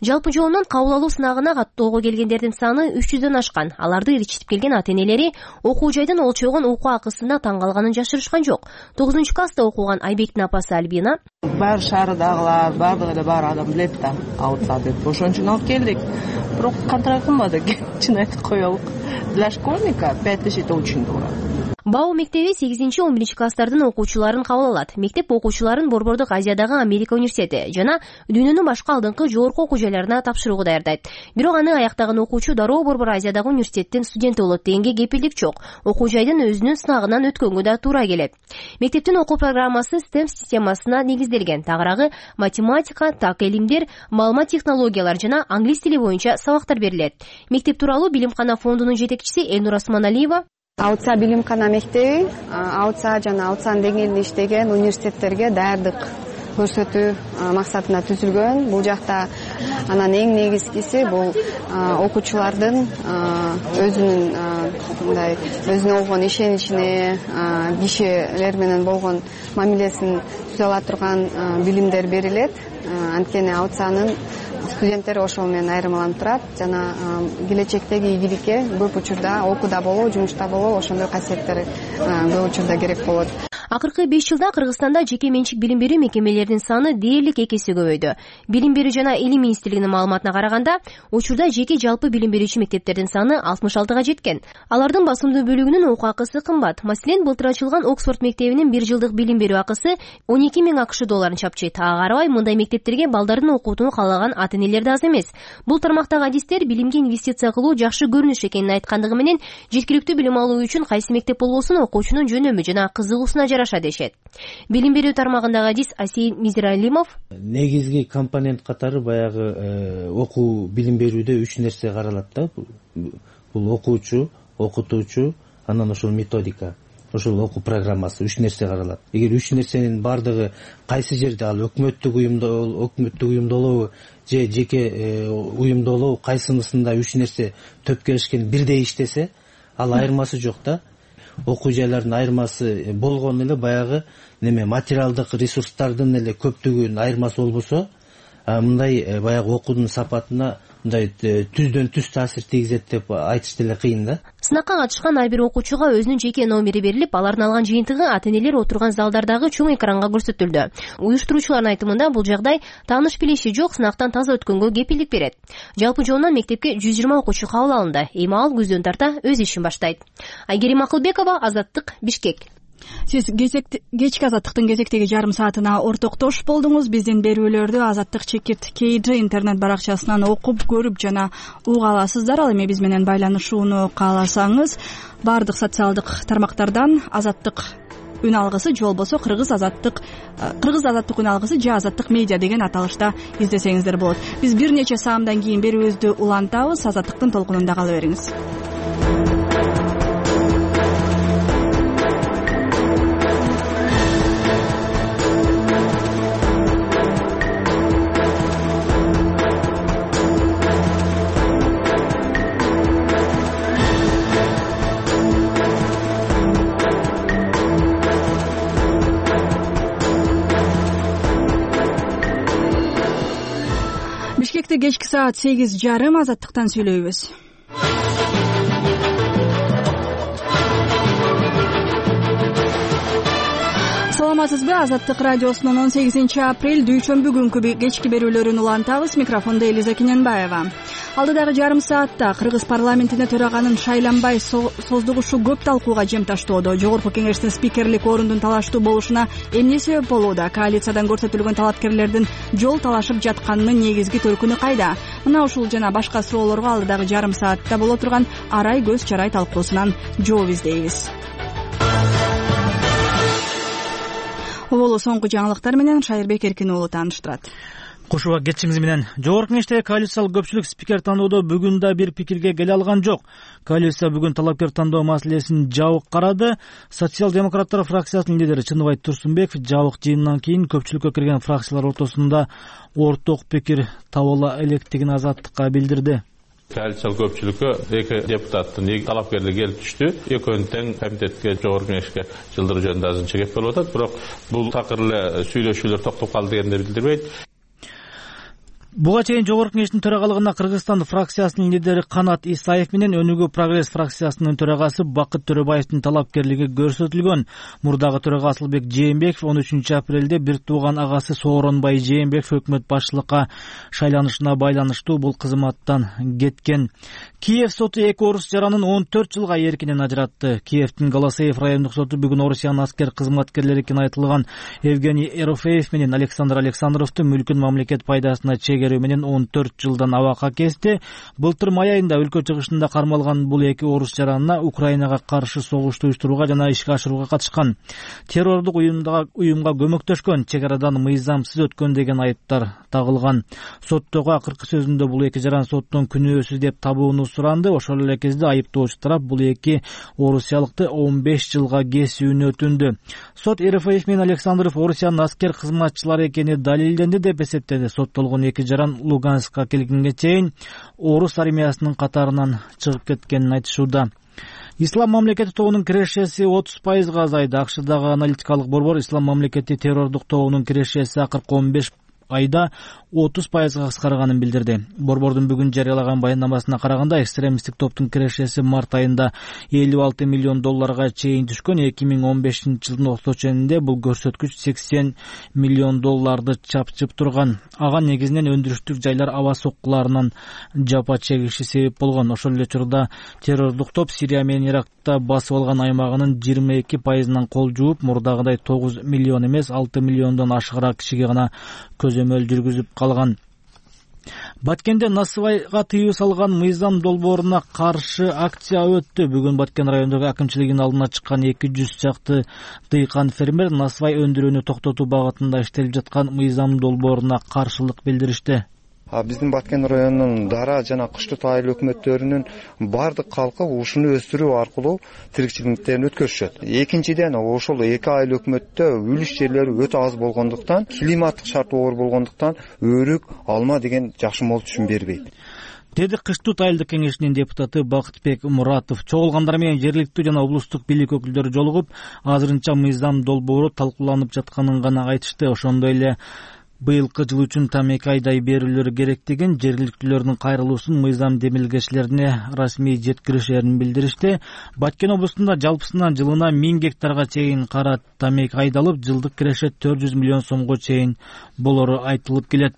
Жалпы жоонун кабыл алуу сынагына каттоого келгендердин саны 300дөн ашкан. Аларды ээрчитип келген ата-энелери окуу жайдын олчойгон окуу акысына таң калганын жашырышкан жок. 9-класста окуган Айбектин апасы Альбина: Баары шаарыдагылар, баардыгы эле бар адам билет да, аутса деп. Ошон үчүн алып келдик. Бирок кантара кымбат экен, чын айтып коелук. Для школьника 5000 это очень дорого. БАО мектеби 8-11 класстардын окуучуларын кабыл алат. Мектеп окуучуларын Борбордук Азиядагы Америка университети жана дүйнөнүн башка алдыңкы жогорку окуу жайларына тапшырууга даярдайт. Бирок аны аяктаган окуучу дароо Борбор Азиядагы университеттин студенти болот дегенге кепилдик жок. Окуу жайдын өзүнүн сынагынан өткөнгө да туура келет. Мектептин окуу программасы STEM системасына негизделген. Тагыраагы математика, так илимдер, маалымат технологиялар жана англис тили боюнча сабактар берилет. Мектеп тууралуу Билимкана фондунун жетекчиси Элнур Осмоналиева: Аутса Билимкана мектеби Аутса жана Аутсан деңгээлинде иштеген университеттерге даярдык көрсөтүү максатында түзүлгөн. Бул жакта анан эң негизгиси бул окуучулардын өзүнүн мындай өзүнө болгон ишеничине, кишилер менен болгон мамилесин түзө ала турган билимдер берилет. Анткени Аутсанын студенттери ошол менен айырмаланып турат жана келечектеги ийгиликке көп учурда окууда болобу, жумушта болобу ошондой касиеттер көп учурда керек болот. Акыркы 5 жылда Кыргызстанда жеке менчик билим берүү мекемелеринин саны дээрлик 2 эсе көбөйдү. Билим берүү жана илим министрлигинин маалыматына караганда, учурда жеке жалпы билим берүүчү мектептердин саны 66га жеткен. Алардын басымдуу бөлүгүнүн окуу акысы кымбат. Маселен, былтыр ачылган Оксфорд мектебинин 1 жылдык билим берүү акысы 12.000 АКШ долларын чапчыйт. Ага карабай, мындай мектептерге балдарын окутууну каалаган ата-энелер да аз эмес. Бул тармактагы адистер билимге инвестиция кылуу жакшы көрүнүш экенин айткандыгы менен, жеткиликтүү билим алуу үчүн кайсы мектеп болбосун окуучунун жөнөмү жана кызыгуусуна жараша дешет. Билим берүү тармагындагы адис Асей Мизиралимов: негизги компонент катары баягы окуу билим берүүдө 3 нерсе каралат да. Бул окуучу, окутуучу, анан ошол методика, ошол окуу программасы 3 нерсе каралат. Эгер 3 нерсенин бардыгы кайсы жерде, ал өкмөттүк уюмда болобу же жеке уюмда болобу, кайсынысында 3 нерсе төп келишкен бирдей иштесе, ал айырмасы жок да. Окуу жайлардын айырмасы болгону эле баягы материалдык ресурстардын эле көптүгүнүн айырмасы болбосо, мындай баягы окуунун сапатына мындай түздөн түз таасир тийгизет деп айтыш деле кыйын да. Сынакка катышкан ар бир окуучуга өзүнүн жеке номери берилип, алардын алган жыйынтыгы ата-энелер отурган залдардагы чоң экранга көрсөтүлдү. Уюштуруучулардын айтымында, бул жагдай тааныш билиши жок сынактан таза өткөнгө кепилдик берет. Жалпы жоондан мектепке 120 окуучу кабыл алынды. Эми ал күздөн тарта өз ишин баштайт. Айгерим Акылбекова, Азаттык, Бишкек. Сиз кечки азаттыктын кезектеги жарым саатына ортоктош болдуңуз. Биздин берүүлөрдү Азаттык Чекит KG интернет баракчасынан окуп, көрүп жана уга аласыздар. Ал эми биз менен байланышууну кааласаңыз, баардык социалдык тармактардан Азаттык үн алгысы же болбосо кыргыз азаттык үн алгысы же Азаттык медиа деген аталышта издесеңиздер болот. Биз бир нече саамдан кийин берүүбүздү улантабыз. Азаттыктын толкунунда кала бериңиз. Бишкекте кечки саат 8:30 Азаттыктан сүйлөйбүз. Саламатсызбы? Азаттык радиосунун 18-апрель дүйшөмбү күнкү кечки берүүлөрүн улантабыз. Микрофондо Элиза Кененбаева. Алдыдагы жарым саатта Кыргыз парламентине төраганын шайланбай создугушу көп талкууга жем таштоодо. Жогорку кеңештин спикерлик орундун талаштуу болушуна эмне себеп болууда? Коалициядан көрсөтүлгөн талапкерлердин жол талашып жатканынын негизги төркүнү кайда? Мына ушул жана башка суроолорго алдыдагы жарым саатта боло турган арай көз чарай талкуусунан жооп издейбиз. Оболу соңку жаңылыктар менен Шайырбек Эркин уулу тааныштырат. Кушуба кетишиңиз менен Жогорку Кеңештеги коалициялык көпчүлүк спикер тандоодо бүгүн да бир пикирге келе алган жок. Коалиция бүгүн талапкер тандоо маселесин жабык карады. Социал-демократтар фракциясынын лидери Чыныбай Турсунбеков жабык жыйындан кийин көпчүлүккө кирген фракциялар ортосунда орток пикир табыла электигин Азаттыкка билдирди. Коалициялык көпчүлүккө эки депутаттын талапкерлери келип түштү. Экөөнү тең комитетке, Жогорку Кеңешке жылдыруу жөнүндө азырынча кеп болуп атат. Бирок бул такыр эле сүйлөшүүлөр токтоп калды дегенди билдирбейт. Буга чейин Жогорку Кеңештин төрагалыгына Кыргызстан фракциясынын лидери Канат Исаев менен Өнүгүү Прогресс фракциясынын төрагасы Бакыт Төрөбаевдин талапкерлиги көрсөтүлгөн. Мурдагы төрага Асылбек Жээнбеков 13-апрелде бир тууган агасы Сооронбай Жээнбеков өкмөт башчылыкка шайланышына байланыштуу бул кызматтан кеткен. Киев соту эки орус жаранын 14 жылга эркинен ажыратты. Киевдин Голосеев райондук соту бүгүн Орусиянын аскер кызматкерлери экени айтылган Евгений Ерофеев менен Александр Александровду мүлкүн мамлекет пайдасына чегерүү менен 14 жылдан абакка кести. Былтыр май айында өлкө чыгышында кармалган бул эки орус жаранына Украинага каршы согушту уюштурууга жана ишке ашырууга катышкан. Террордук уюмга көмөктөшкөн, чек арадан мыйзамсыз өткөн деген айыптар тагылган. Соттогу акыркы сөзүндө бул эки жаран соттон күнөөсүз деп табууну суранды. Ошол эле кезде айыптоочу тарап бул эки орусиялыкты 15 жылга кесүүнү өтүндү. Сот Ерофеев менен Александров Орусиянын аскер кызматчылары экени далилденди деп эсептеди. Соттолгон эки жаран Луганскка келгенге чейин орус армиясынын катарынан чыгып кеткенин айтышууда. Ислам мамлекети тобунун кирешеси 30%га азайды. АКШдагы аналитикалык борбор Ислам мамлекети террордук тобунун кирешеси акыркы 15 айда 30%га кыскарганын билдирди. Борбордун бүгүн жарыялаган баяндамасына караганда, экстремисттик топтун кирешеси март айында $56 миллион чейин түшкөн. 2015-жылдын октябрь ченинде бул көрсөткүч $80 миллион чапчып турган. Ага негизинен өндүрүштүк жайлар аба соккуларынан жапа чегиши себеп болгон. Ошол эле учурда террордук топ Сирия менен Иракта басып алган аймагынын 22%-нан кол жууп, мурдагыдай 9 миллион эмес, 6 миллиондон ашыгыраак кишиге гана көзөмөл жүргүзүп калган. Баткенде насыбайга тыюу салган мыйзам долбооруна каршы акция өттү. Бүгүн Баткен райондогу акимчилигинин алдына чыккан 200 чакты дыйкан фермер насыбай өндүрүүнү токтотуу багытында иштелип жаткан мыйзам долбооруна каршылык билдиришти. Биздин Баткен районунун дара жана кыштык айыл өкмөттөрүнүн бардык калкы ушуну өстүрүү аркылуу тиричиликтерин өткөрүшөт. Экинчиден, ошол эки айыл өкмөттө үлүш жерлери өтө аз болгондуктан, климаттык шарт оор болгондуктан өрүк, алма деген жакшы мол түшүм бербейт. Деди Кыштык айылдык кеңешинин депутаты Бакытбек Муратов. Чогулгандар менен жергиликтүү жана облустук бийлик өкүлдөрү жолугуп, азырынча мыйзам долбоору талкууланып жатканын гана айтышты. Ошондой эле быйылкы жыл үчүн там 2 айдай берүүлөр керектигин, жергиликтүүлөрдүн кайрылуусун мыйзам демилгечилерине расмий жеткиришерин билдиришти. Баткен облусунда жалпысынан жылына 1000 гектарга чейин кара тамек айдалып, жылдык киреше 400 миллион сомго чейин болору айтылып келет.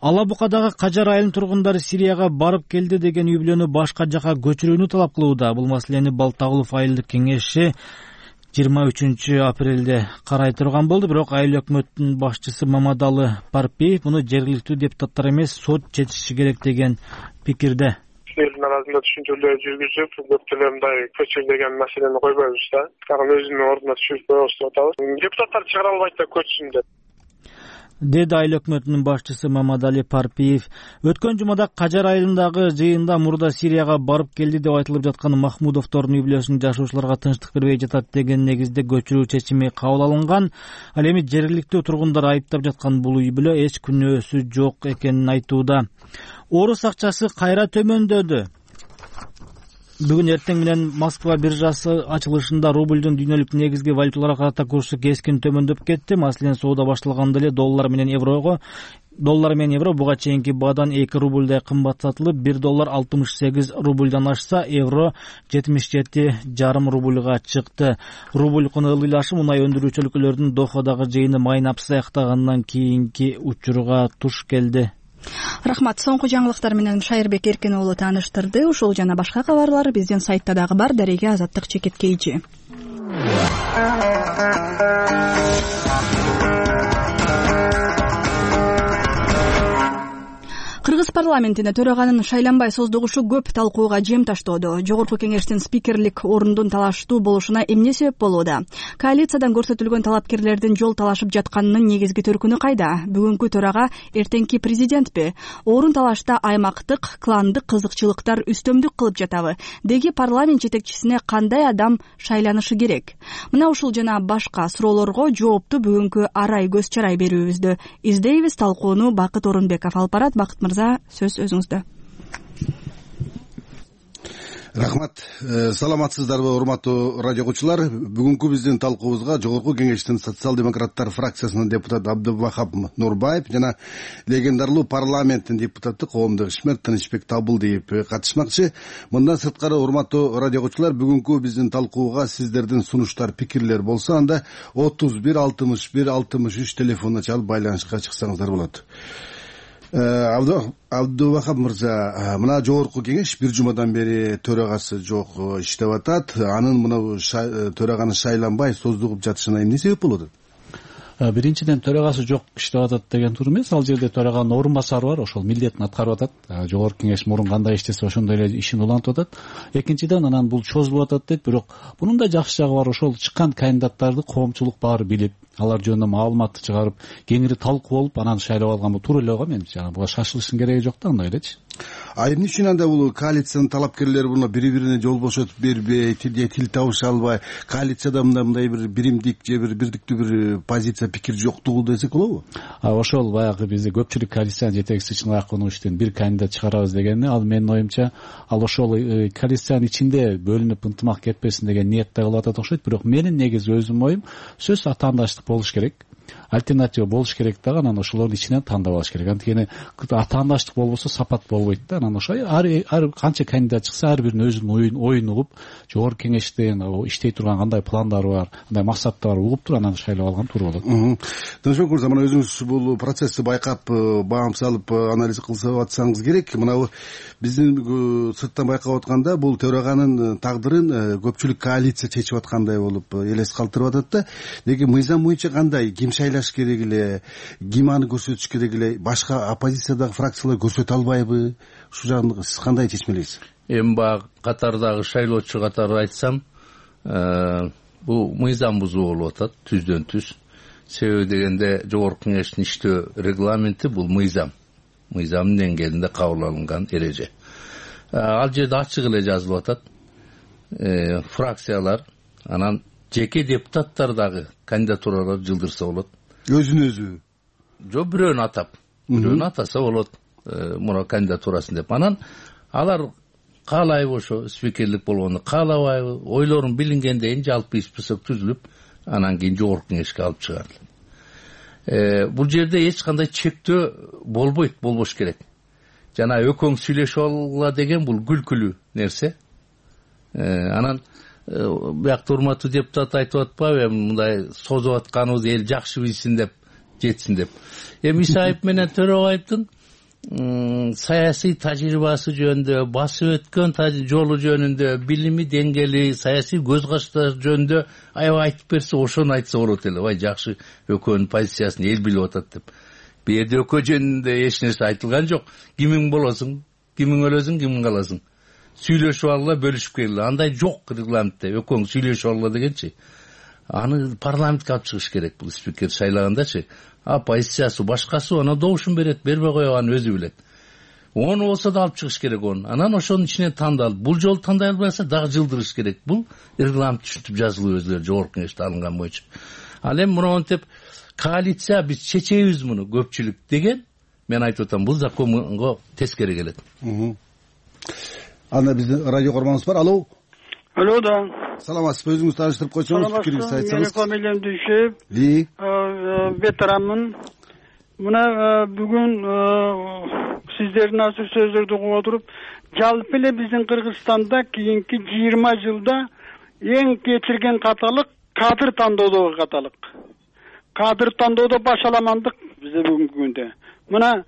Ала Букадагы Кажар айылынын тургундары Сирияга барып келди деген үй бүлөнү башка жака көчүрүүнү талап кылууда. Бул маселени Балтагулов айылдык кеңеши 23 апрелде карай турган болду, бирок айыл өкмөтүнүн башчысы Мамадалы Парпиев муну жергиликтүү депутаттар эмес, сот чечиши керек деген пикирде. Элдин арасында түшүнчөлөр жүргүзүп, көптөгөн мындай көчүр деген маселени койбойбуз да. Тагын өзүнүн ордуна түшүрүп коебуз деп атабыз. Депутаттар чыгара албайт да көчсүн деп. Деди айыл өкмөтүнүн башчысы Мамадали Парпиев. Өткөн жумада Кажар айылындагы жыйында мурда Сирияга барып келди деп айтылып жаткан Махмудовдордун үй бүлөсүнүн жашоочуларга тынчтык бербей жатат деген негизде көчүрүү чечими кабыл алынган. Ал эми жергиликтүү тургундар айыптап жаткан бул үй бүлө эч күнөөсү жок экенин айтууда. Орус акчасы кайра төмөндөдү. Бүгүн эртең менен Москва биржасы ачылышында рубльдун дүйнөлүк негизги валюталарга карата курсу кескин төмөндөп кетти. Маселен, соода башталганда эле доллар менен евро буга чейинки баадан 2 рубльдай кымбат сатылып, 1 доллар 68 рубльдан ашса, евро 77,5 рубльга чыкты. Рубль куну ылдыйлашып, мунай өндүрүүчү өлкөлөрдүн Дохадагы жыйыны майнап саяктагандан кийинки учурга туш келди. Рахмат. Соңку жаңылыктар менен Шайырбек Эркен уулу тааныштырды. Ушул жана башка кабарлар биздин сайтта дагы бар. Дареге Азаттык Чекеткейчи. Кыргыз парламентине төраганын шайланбай создугушу көп талкууга жем таштоодо. Жогорку кеңештин спикерлик орундун талаштуу болушуна эмне себеп болууда? Коалициядан көрсөтүлгөн талапкерлердин жол талашып жатканынын негизги төркүнү кайда? Бүгүнкү төрага эртеңки президентпи? Орун талашта аймактык, кландык кызыкчылыктар үстөмдүк кылып жатабы? Деги парламент жетекчисине кандай адам шайланышы керек? Мына ушул жана башка суроолорго жоопту бүгүнкү арай көз чарай берүүбүздө издейбиз. Талкууну Бакыт Орунбеков алып барат. Бакыт мырза, сөз өзүңүздө. Рахмат. Саламатсыздарбы, урматтуу радио угуучулар. Бүгүнкү биздин талкуубузга Жогорку кеңештин социал-демократтар фракциясынын депутаты Абдывахап Нурбаев жана легендарлуу парламенттин депутаты коомдук ишмер Тынычбек Табылдиев катышмакчы. Мындан сырткары, урматтуу радио угуучулар, бүгүнкү биздин талкууга сиздердин сунуштар, пикирлер болсо, анда 31 61 63 телефонуна чалып байланышка чыксаңыздар болот. Абдывахап мырза, мына Жогорку кеңеш бир жумадан бери төрагасы жок иштеп атат. Анын мына төраганын шайланбай создугуп жатышына эмне себеп болот? Биринчиден, төрагасы жок иштеп атат деген туура эмес. Ал жерде төраганын орун басары бар, ошол милдетин аткарып атат. Жогорку кеңеш мурун кандай иштесе ошондой эле ишин улантып атат. Экинчиден, анан бул чозулуп атат дейт, бирок бунун да жакшы жагы бар. Ошол чыккан кандидаттарды коомчулук баары билип, алар жөнүндө маалыматты чыгарып, кеңири талкуу болуп, анан шайлап алган бул туура эле го. Менимче, буга шашылыштын кереги жок да, андай элечи. Эмне үчүн анда бул коалициянын талапкерлери буну бири-бирине жол бошотуп бербей, тил табыша албай, коалицияда мындай бир биримдик же бир бирдиктүү бир позиция, пикир жоктугу десек болобу? Ошол баягы бизде көпчүлүк коалициянын жетекчиси чыныгы акынын иштен бир кандидат чыгарабыз дегени, ал менин оюмча, ал ошол коалициянын ичинде бөлүнүп ынтымак кетпесин деген ниетте кылып атат окшойт. Бирок менин негизи өзүмдүн оюм, сөзсүз атаандаштык болуш керек. Альтернатива болуш керек дагы, анан ошолордун ичинен тандап алыш керек. Анткени атаандаштык болбосо сапат болбойт да. Анан ошо ар канча кандидат чыкса, ар биринин өзүнүн оюн угуп, жогорку кеңештен иштей турган кандай пландары бар, кандай максаттары бар угуп туруп, анан шайлап алган туура болот. Тынычбек мырза, мына өзүңүз бул процессти байкап, баам салып, анализ кылып атсаңыз керек. Мына биздин сырттан байкап атканда, бул төраганын тагдырын көпчүлүк коалиция чечип аткандай болуп элес калтырып атат да. Деги мыйзам боюнча кандай, ким шайлаш керек эле, ким аны көрсөтүш керек эле, башка оппозициядагы фракциялар көрсөтө албайбы? Ушул жагында сиз кандай чечмелейсиз? Эми баягы катардагы шайлоочу катары айтсам, бул мыйзам бузуу болуп атат, түздөн түз. Себеби дегенде, Жогорку кеңештин иштөө регламенти бул мыйзам. Мыйзамдын деңгээлинде кабыл алынган эреже. Ал жерде ачык эле жазылып атат. Фракциялар, анан жеке депутаттар дагы кандидатуралар жылдырса болот. Өзүн өзү? Жок, бирөөнү атап. Бирөөнү атаса болот, муна кандидатурасын деп. Анан алар каалайбы ошо спикерлик болгону, каалабайбы, ойлорун билингенден жалпы список түзүлүп, анан кийин Жогорку кеңешке алып чыгарылат. Бул жерде эч кандай чектөө болбойт, болбош керек. Жана өкөң сүйлөшүп алгыла деген бул күлкүлүү нерсе. Анан биякта урматтуу депутат айтып атпайбы, мындай созуп атканыбыз эл жакшы билсин деп, жетсин деп. Исаев менен Төрөбаевдин саясий тажрыйбасы жөнүндө, басып өткөн жолу жөнүндө, билими деңгээли, саясий көз караштары жөнүндө аябай айтып берсе, ошону айтса болот эле. Ой, жакшы, ÖKөнүн позициясын эл билип атат деп. Бу жерде ÖKө жөнүндө эч нерсе айтылган жок. Кимиң болосуң, кимиң өлөсүң, кимиң каласың. Сүйлөшүп алгыла, бөлүшүп келгиле. Андай жок регламентте. ÖКөң сүйлөшүп алгыла дегенчи. Аны парламентке алып чыгыш керек, бул спикер шайлагандачы. Позициясы башкасы аны добушун берет, бербей койгонун өзү билет. Оны болсо да алып чыгыш керек оны. Анан ошонун ичинен тандалып, бул жолу тандай албаса дагы жылдырыш керек. Бул регламент түшүнүп жазылып өзүлөрү жогорку кеңеште алынган боюнча. Ал эми мынтип коалиция биз чечебиз муну көпчүлүк деген, мен айтып атам, бул законго тескери келет. Анда биздин радио көрмөңүз бар. Алло. Алло, да. Саламатсызбы, өзүңүз тааныштырып койсоңуз, пикириңизди айтсаңыз. Менин фамилиям Дүйшөев. Ветеранмын. Мына бүгүн сиздердин азыр сөздөрдү угуп отуруп, жалпы эле биздин Кыргызстанда кийинки 20 жылда эң кечирген каталык кадр тандоодогу каталык. Кадр тандоодо башаламандык бизде бүгүнкү күндө. Мына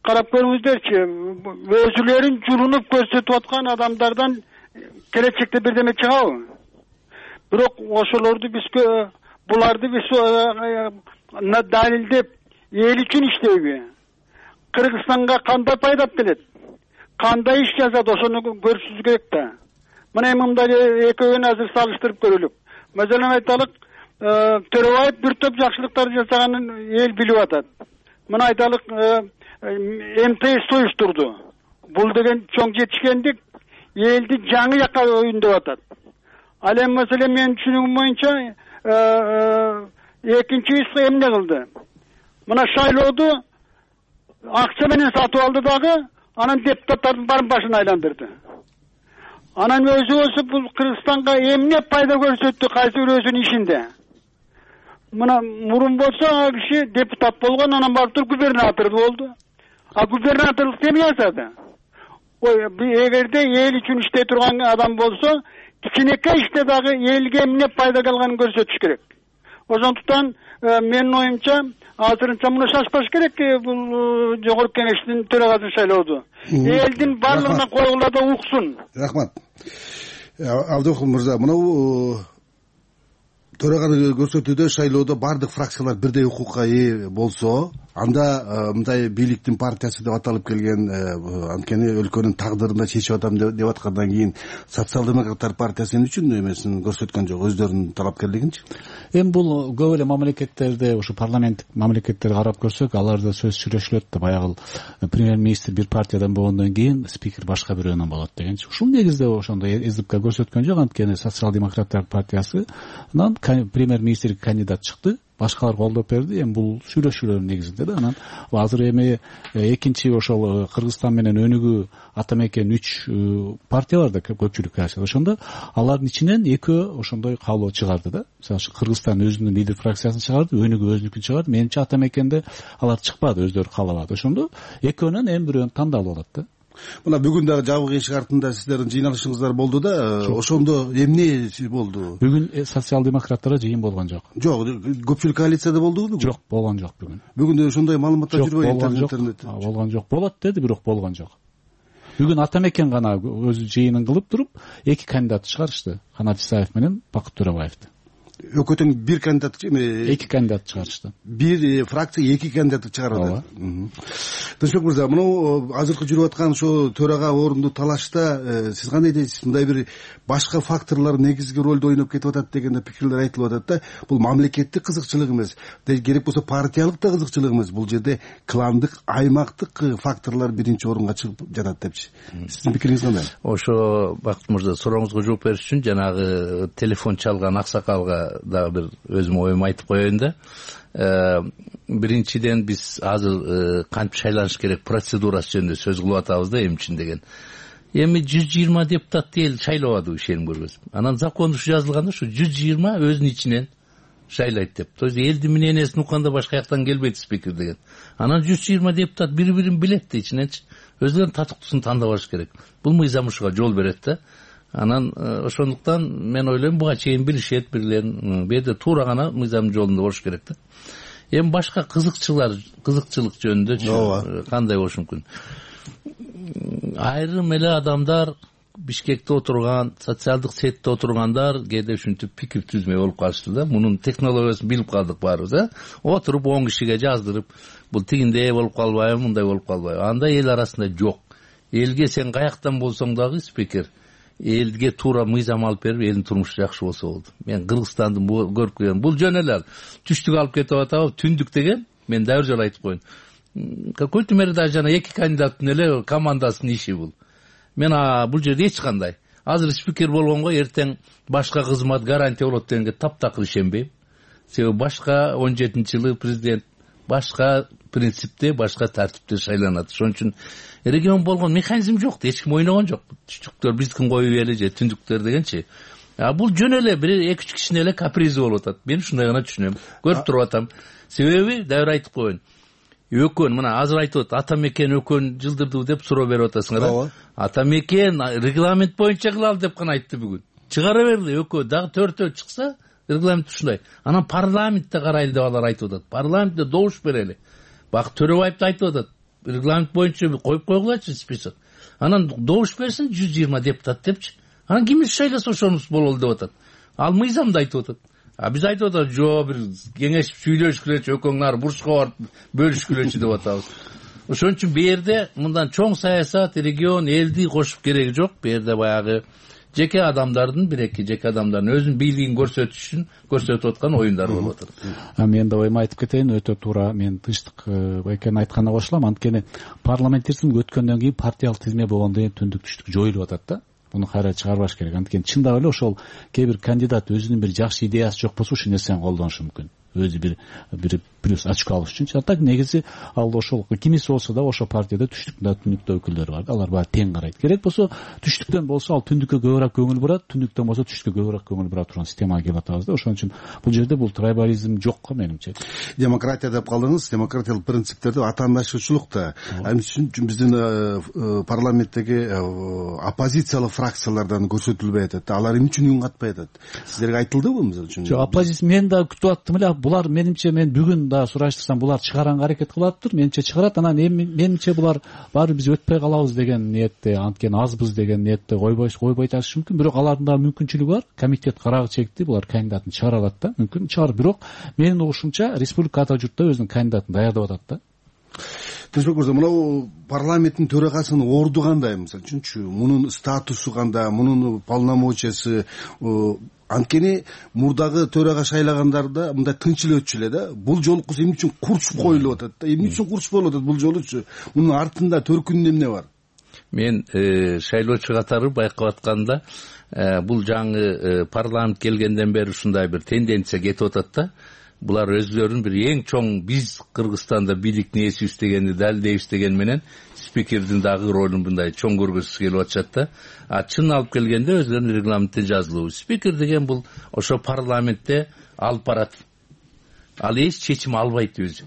карап көрүңүздөрчү, өзүлөрүн жулунуп көрсөтүп аткан адамдардан келечекте бирдеме чыгабы? Бирок ошолорду биз буларды биз далилдеп эл үчүн иштейби? Кыргызстанга кандай пайда алып келет? Кандай иш жасат, ошону көрүшүбүз керек да. Мына мындай экөөнү азыр салыштырып көрөлүк. Маселен айталык, Төрөбаев бир топ жакшылыктар жасаганын эл билип атат. Мына айталык, МТС уюштурду. Бул деген чоң жетишкендик элди жаңы жакка өйүндөп атат. Ал эми маселе менин түшүнүгүм боюнча экинчи иш эмне кылды? Мына шайлоодо акча менен сатып алды дагы, анан депутаттардын барын башын айландырды. Анан өзү болсо бул Кыргызстанга эмне пайда көрсөттү, кайсы бир өзүнүн ишинде. Мына мурун болсо ал киши депутат болгон, анан барып туруп губернатор болду. А губернаторлук эме жасады? Ой, эгерде эл үчүн иштей турган адам болсо, кичинекей иште дагы элге эмне пайда келганын көрсөтүш керек. Ошондуктан менин оюмча азырынча муну шашпаш керек, бул жогорку кеңештин төрагасын шайлоодо. Элдин баардыгына койгула да уксун. Рахмат. Абдыкул мырза, мына төраганы көрсөтүүдө шайлоодо баардык фракциялар бирдей укукка ээ болсо, анда мындай бийликтин партиясы деп аталып келген, анткени өлкөнүн тагдырын да чечип атам деп аткандан кийин социал-демократтар партиясы эмне үчүн эмесин көрсөткөн жок, өздөрүнүн талапкерлигинчи? Эми бул көп эле мамлекеттерде, ушу парламенттик мамлекеттерди карап көрсөк, аларда сөз сүйлөшүлөт да, баягы премьер-министр бир партиядан болгондон кийин спикер башка бирөөнөн болот дегенчи. Ушул негизде ошондой СДПК көрсөткөн жок, анткени социал-демократтар партиясынан премьер-министрге кандидат чыкты, башкалар колдоп берди. Эми бул сүйлөшүүлөр негизинде да. Анан азыр эми экинчи ошол Кыргызстан менен өнүгүү Атамекен 3 партиялар да көпчүлүк коалиция. Ошондо алардын ичинен экөө ошондой каалоо чыгарды да. Мисалы үчүн Кыргызстан өзүнүн лидер фракциясын чыгарды, өнүгүү өзүнүкүн чыгарды. Менимче Атамекенде алар чыкпады, өздөрү каалабады. Ошондо экөөнөн эми бирөөнү тандалып алат да. Мына бүгүн дагы жабык эшик артында сиздердин жыйналышыңыздар болду да, ошондо эмне болду? Бүгүн социал-демократтар жыйын болгон жок. Жок, көпчүлүк коалицияда болдубу? Жок, болгон жок бүгүн. Бүгүн ошондой маалыматтар жүрбөйбү интернетте? Болгон жок. Болот деди, бирок болгон жок. Бүгүн Атамекен гана өзү жыйынын кылып туруп, эки кандидат чыгарышты. Канат Исаев менен Бакыт Төрөбаевди. ÖKөтөн бир кандидат, эки кандидат чыгарышты. Бир фракция эки кандидат чыгарды. Тынчбек мырза, мына азыркы жүрүп аткан ошо төрага орунду талашта сиз кандай дейсиз? Мындай бир башка факторлор негизги ролду ойноп кетип атат деген пикирлер айтылып атат да. Бул мамлекеттик кызыкчылык эмес, керек болсо партиялык да кызыкчылык эмес. Бул жерде кландык, аймактык факторлор биринчи орунга чыгып жатат депчи. Сиздин пикириңиз кандай? Ошо Бакыт мырза, сурооңузга жооп бериш үчүн жанагы телефон чалган аксакалга дагы бир өзүм оюмду айтып коеюн да. Биринчиден биз азыр кантип шайланыш керек процедурасы жөнүндө сөз кылып атабыз да, эмне үчүн деген. Эми 120 депутатты эл шайлабады, ишеним көрбөсүм. Анан закондо ушу жазылганда ушу 120 өзүнүн ичинен шайлайт деп. То есть элдин мнениясын укканда башка жактан келбейт спикер деген. Анан 120 депутат бири-бирин билет да ичиненчи. Өзүнүн татыктуусун тандап алыш керек. Бул мыйзам ушуга жол берет да. Анан ошондуктан мен ойлойм буга чейин билишет бирлерин. Бу жерде туура гана мыйзам жолунда болуш керек да. Эми башка кызыкчылык жөнүндө кандай болушу мүмкүн? Айрым эле адамдар Бишкекте отурган, социалдык сетте отургандар кээде ушинтип пикир түзмөй болуп калышты да. Мунун технологиясын билип калдык баарыбыз, Отуруп 10 кишиге жаздырып, бул тигиндей болуп калбайбы, мындай болуп калбайбы? Андай эл арасында жок. Элге сен каяктан болсоң дагы спикер, элге туура мыйзам алып берип, элдин турмушу жакшы болсо болду. Мен Кыргызстанды көрүп келгем. Бул жөн эле түштүк алып кетип атабы, түндүк деген, мен дагы жолу айтып коеюн. Какой-то мере даже жана эки кандидаттын эле командасынын иши бул. Мен бул жерде эч кандай. Азыр спикер болгонго эртең башка кызмат гарантия болот дегенге таптакыр ишенбейм. Себеби башка 17-жылы президент башка принципте, башка тартипте шайланат. Ошон үчүн регион болгон механизм жок, эч ким ойногон жок. Түштүктөр биздикин коюп эле же түндүктөр дегенчи. Бул жөн эле бир 2-3 кишинин эле капризи болуп атат. Мен ушундай гана түшүнөм. Көрүп туруп атам. Себеби дагы айтып коеюн. Өкөн, мына азыр айтып атат, ата мекен өкөн жылдырды деп суроо берип атасыңар. Ата мекен регламент боюнча кылалы деп гана айтты бүгүн. Чыгара берди өкөө, дагы 4-өө чыкса, регламент ушундай. Анан парламентте карайлы деп алар айтып атат. Парламентте добуш берели. Бак Төрөбаев да айтып атат. Регламент боюнча коюп койгулачы список. Анан добуш берсин 120 депутат депчи. Анан кимиз шайласа ошонус бололу деп атат. Ал мыйзамда айтып атат. Биз айтып атабыз, жок, бир кеңешип сүйлөшкүлөчү, өкөңнар бурчка барып бөлүшкүлөчү деп атабыз. Ошон үчүн бу жерде мындан чоң саясат, регион, элди кошуп кереги жок. Бу жерде баягы жеке адамдардын, бир-эки жеке адамдардын өзүнүн бийлигин көрсөтүш үчүн көрсөтүп аткан оюндар болуп атат. Мен да ойума айтып кетейин, өтө туура. Мен тынчтык экенин айтканына кошулам. Анткени парламенттердин өткөндөн кийин партиялык тизме болгондон кийин түндүк түштүк жоюлуп атат да. Муну кайра чыгарбаш керек. Анткени чындап эле ошол кээ бир кандидат өзүнүн бир жакшы идеясы жок болсо ушул нерсени колдонушу мүмкүн. Өзү бир плюс очко алыш үчүн. Так негизи ал ошол кимиси болсо да ошол партияда түштүктө, түндүктө өкүлдөр бар. Алар баары тең карайт. Керек болсо түштүктөн болсо ал түндүккө көбүрөөк көңүл бурат, түндүктөн болсо түштүккө көбүрөөк көңүл бура турган системага келип атабыз да. Ошон үчүн бул жерде бул трайбализм жок го менимче. Демократия деп калдыңыз. Демократиялык принциптерди атаандашуучулукта биздин парламенттеги оппозициялык фракциялардан көрсөтүлбөй атат. Алар эмне үчүн үн катпай атат? Сиздерге айтылдыбы мисалы үчүн? Жок, оппозиция мен да күтүп аттым эле. Булар менимче мен бүгүн да сураштырсам булар чыгаранга аракет кылаптыр. Менимче чыгарат. Анан менимче булар баары биз өтпөй калабыз деген ниетте, анткени азбыз деген ниетте койбой атышы мүмкүн. Бирок алардын да мүмкүнчүлүгү бар. Комитет карагы чекти, булар кандидатын чыгара алат да. Мүмкүн чыгарып, бирок менин угушумча республика ата журтта өзүнүн кандидатын даярдап атат да. Тынчбек мырза, мына парламенттин төрагасынын орду кандай мисалы үчүнчү? Мунун статусу кандай? Мунун полномочиясы? Анткени мурдагы төрага шайлагандарда мындай тынч эле өтчү эле да. Бул жолкусу эмне үчүн курчуп коюлуп атат да? Эмне үчүн курчуп коюлуп атат бул жолучу? Мунун артында төркүнүндө эмне бар? Мен шайлоочу катары байкап атканда бул жаңы парламент келгенден бери ушундай бир тенденция кетип атат да. Булар өзлөрүн бир эң чоң биз Кыргызстанда бийликтин ээсибиз дегенди далилдейбиз деген менен спикердин дагы ролун мындай чоң көргөзүшү келип атышат да. Чын алып келгенде өзлөрүнүн регламентте жазылуу. Спикер деген бул ошо парламентте алып барат. Ал эч чечим албайт өзү.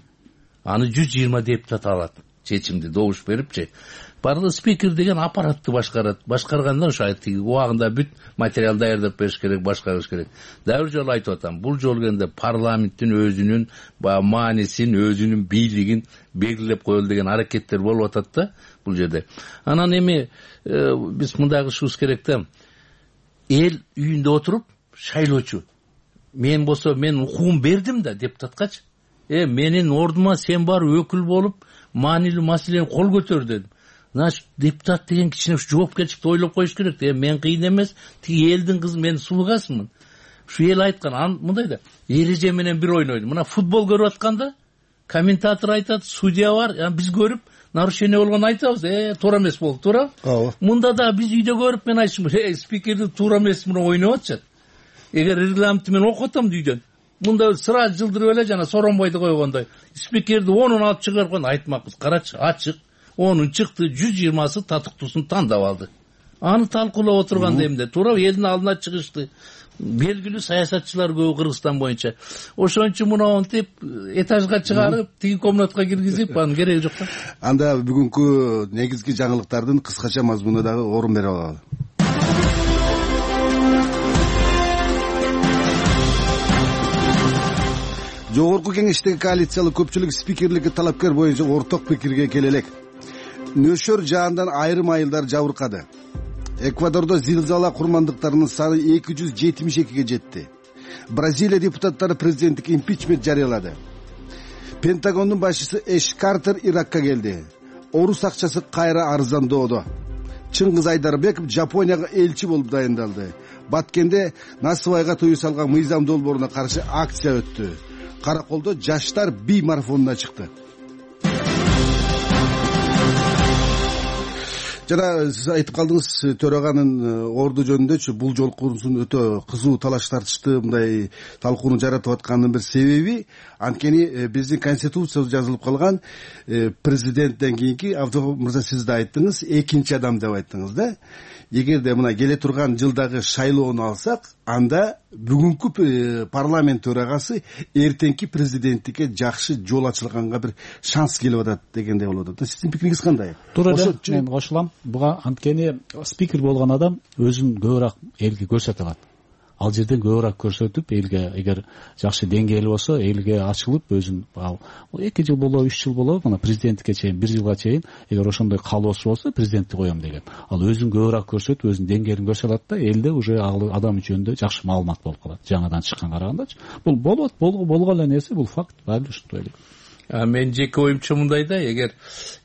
Аны 120 депутат алат. Чечимди добуш берипчи. Барлык спикер деген аппаратты башкарат. Башкарганда ошо убагында бүт материал даярдап бериш керек, башкарыш керек. Дагы бир жолу айтып атам, бул жолу келгенде парламенттин өзүнүн маанисин, өзүнүн бийлигин белгилеп коелу деген аракеттер болуп атат да бул жерде. Анан эми биз мындай кылышыбыз керек да. Эл үйүндө отуруп шайлоочу. Мен болсо мен укугум бердим да депутаткачы. Менин ордума сен бар өкүл болуп, маанилүү маселени кол көтөр дедим. Значит, депутат деген кичине жоопкерчиликти ойлоп коюш керек. Мен кыйын эмес, тиги элдин кызы, мен сулугасмын. Ушу эл айткан, мындай да, эреже менен бир ойнойт. Мына футбол көрүп атканда, комментатор айтат, судья бар, биз көрүп, нарушение болгонун айтабыз, туура эмес болду, туура? Мында да биз үйдө көрүп, мен айтышым, спикерди туура эмес менен ойноп атышат. Эгер регламентти мен окуп атам үйдөн, мында сразу жылдырып эле жана Соронбойду койгондой, спикерди 10-ун алып чыгарып койгон, айтмакпыз, карачы, ачык. 10-ун чыкты, 120сы татыктуусун тандап алды. Аны талкуулап отурганда эмне? Туура элдин алдына чыгышты. Белгилүү саясатчылар көп Кыргызстан боюнча. Ошон үчүн мунтип этажга чыгарып, тиги комнатка киргизип, анын кереги жок да. Анда бүгүнкү негизги жаңылыктардын кыскача мазмунуна дагы орун берип алалы. Жогорку кеңештеги коалициялык көпчүлүк спикерликке талапкер боюнча орток пикирге келе элек. Нөшөр жаандан айрым айылдар жабыркады. Эквадордо зилзала курмандыктарынын саны 272-ге жетти. Бразилия депутаттары президенттик импичмент жарыялады. Пентагондун башчысы Эш Картер Иракка келди. Орус акчасы кайра арзандоодо. Чыңгыз Айдарбеков Жапонияга элчи болуп дайындалды. Баткенде Насыбайга тыюу салган мыйзам долбооруна каршы акция өттү. Караколдо жаштар би марафонуна чыкты. Жана сиз айтып калдыңыз, төраганын орду жөнүндөчү бул жолкусун өтө кызуу талаш тартышты, мындай талкууну жаратып атканынын бир себеби анткени биздин конституциябыз жазылып калган президенттен кийинки, Абдыгов мырза сиз да айттыңыз, экинчи адам деп айттыңыз да. Эгерде мына келе турган жылдагы шайлоону алсак, анда бүгүнкү парламент төрагасы эртеңки президенттикке жакшы жол ачылганга бир шанс келип атат дегендей болуп атат. Сиздин пикириңиз кандай? Туура эле, мен кошулам. Буга анткени спикер болгон адам өзүн көбүрөөк элге көрсөтө алат. Ал жерден көбүрөөк көрсөтүп, элге эгер жакшы деңгээли болсо, элге ачылып өзүн ал 2 жыл болобу, 3 жыл болобу, мына президенттикке чейин 1 жылга чейин эгер ошондой каалоосу болсо, президентти коем деген. Ал өзүн көбүрөөк көрсөтүп, өзүнүн деңгээлин көрсөтө алат да, элде уже ал адам жөнүндө жакшы маалымат болуп калат. Жаңадан чыкканга карагандачы. Бул болот, болгон эле нерсе, бул факт. Баары ушундай эле. Мен жеке оюмча мындай да, эгер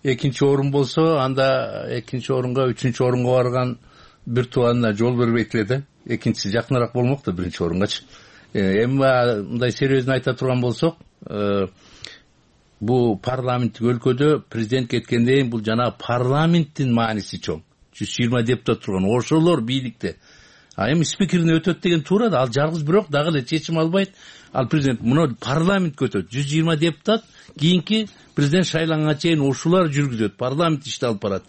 экинчи орун болсо, анда экинчи орунга, үчүнчү орунга барган бир тууганына жол бербейт эле да. Экинчиси жакыныраак болмок да биринчи орунгачы. Эми мындай серьезно айта турган болсок, бул парламенттик өлкөдө президент кеткенден кийин бул жана парламенттин мааниси чоң. 120 депутат турган, ошолор бийликте. А эми спикерин өтөт деген туура да, ал жалгыз бирок дагы эле чечим албайт. Ал президент муну парламент өтөт. 120 депутат кийинки президент шайланганга чейин ушулар жүргүзөт. Парламент ишти алып барат.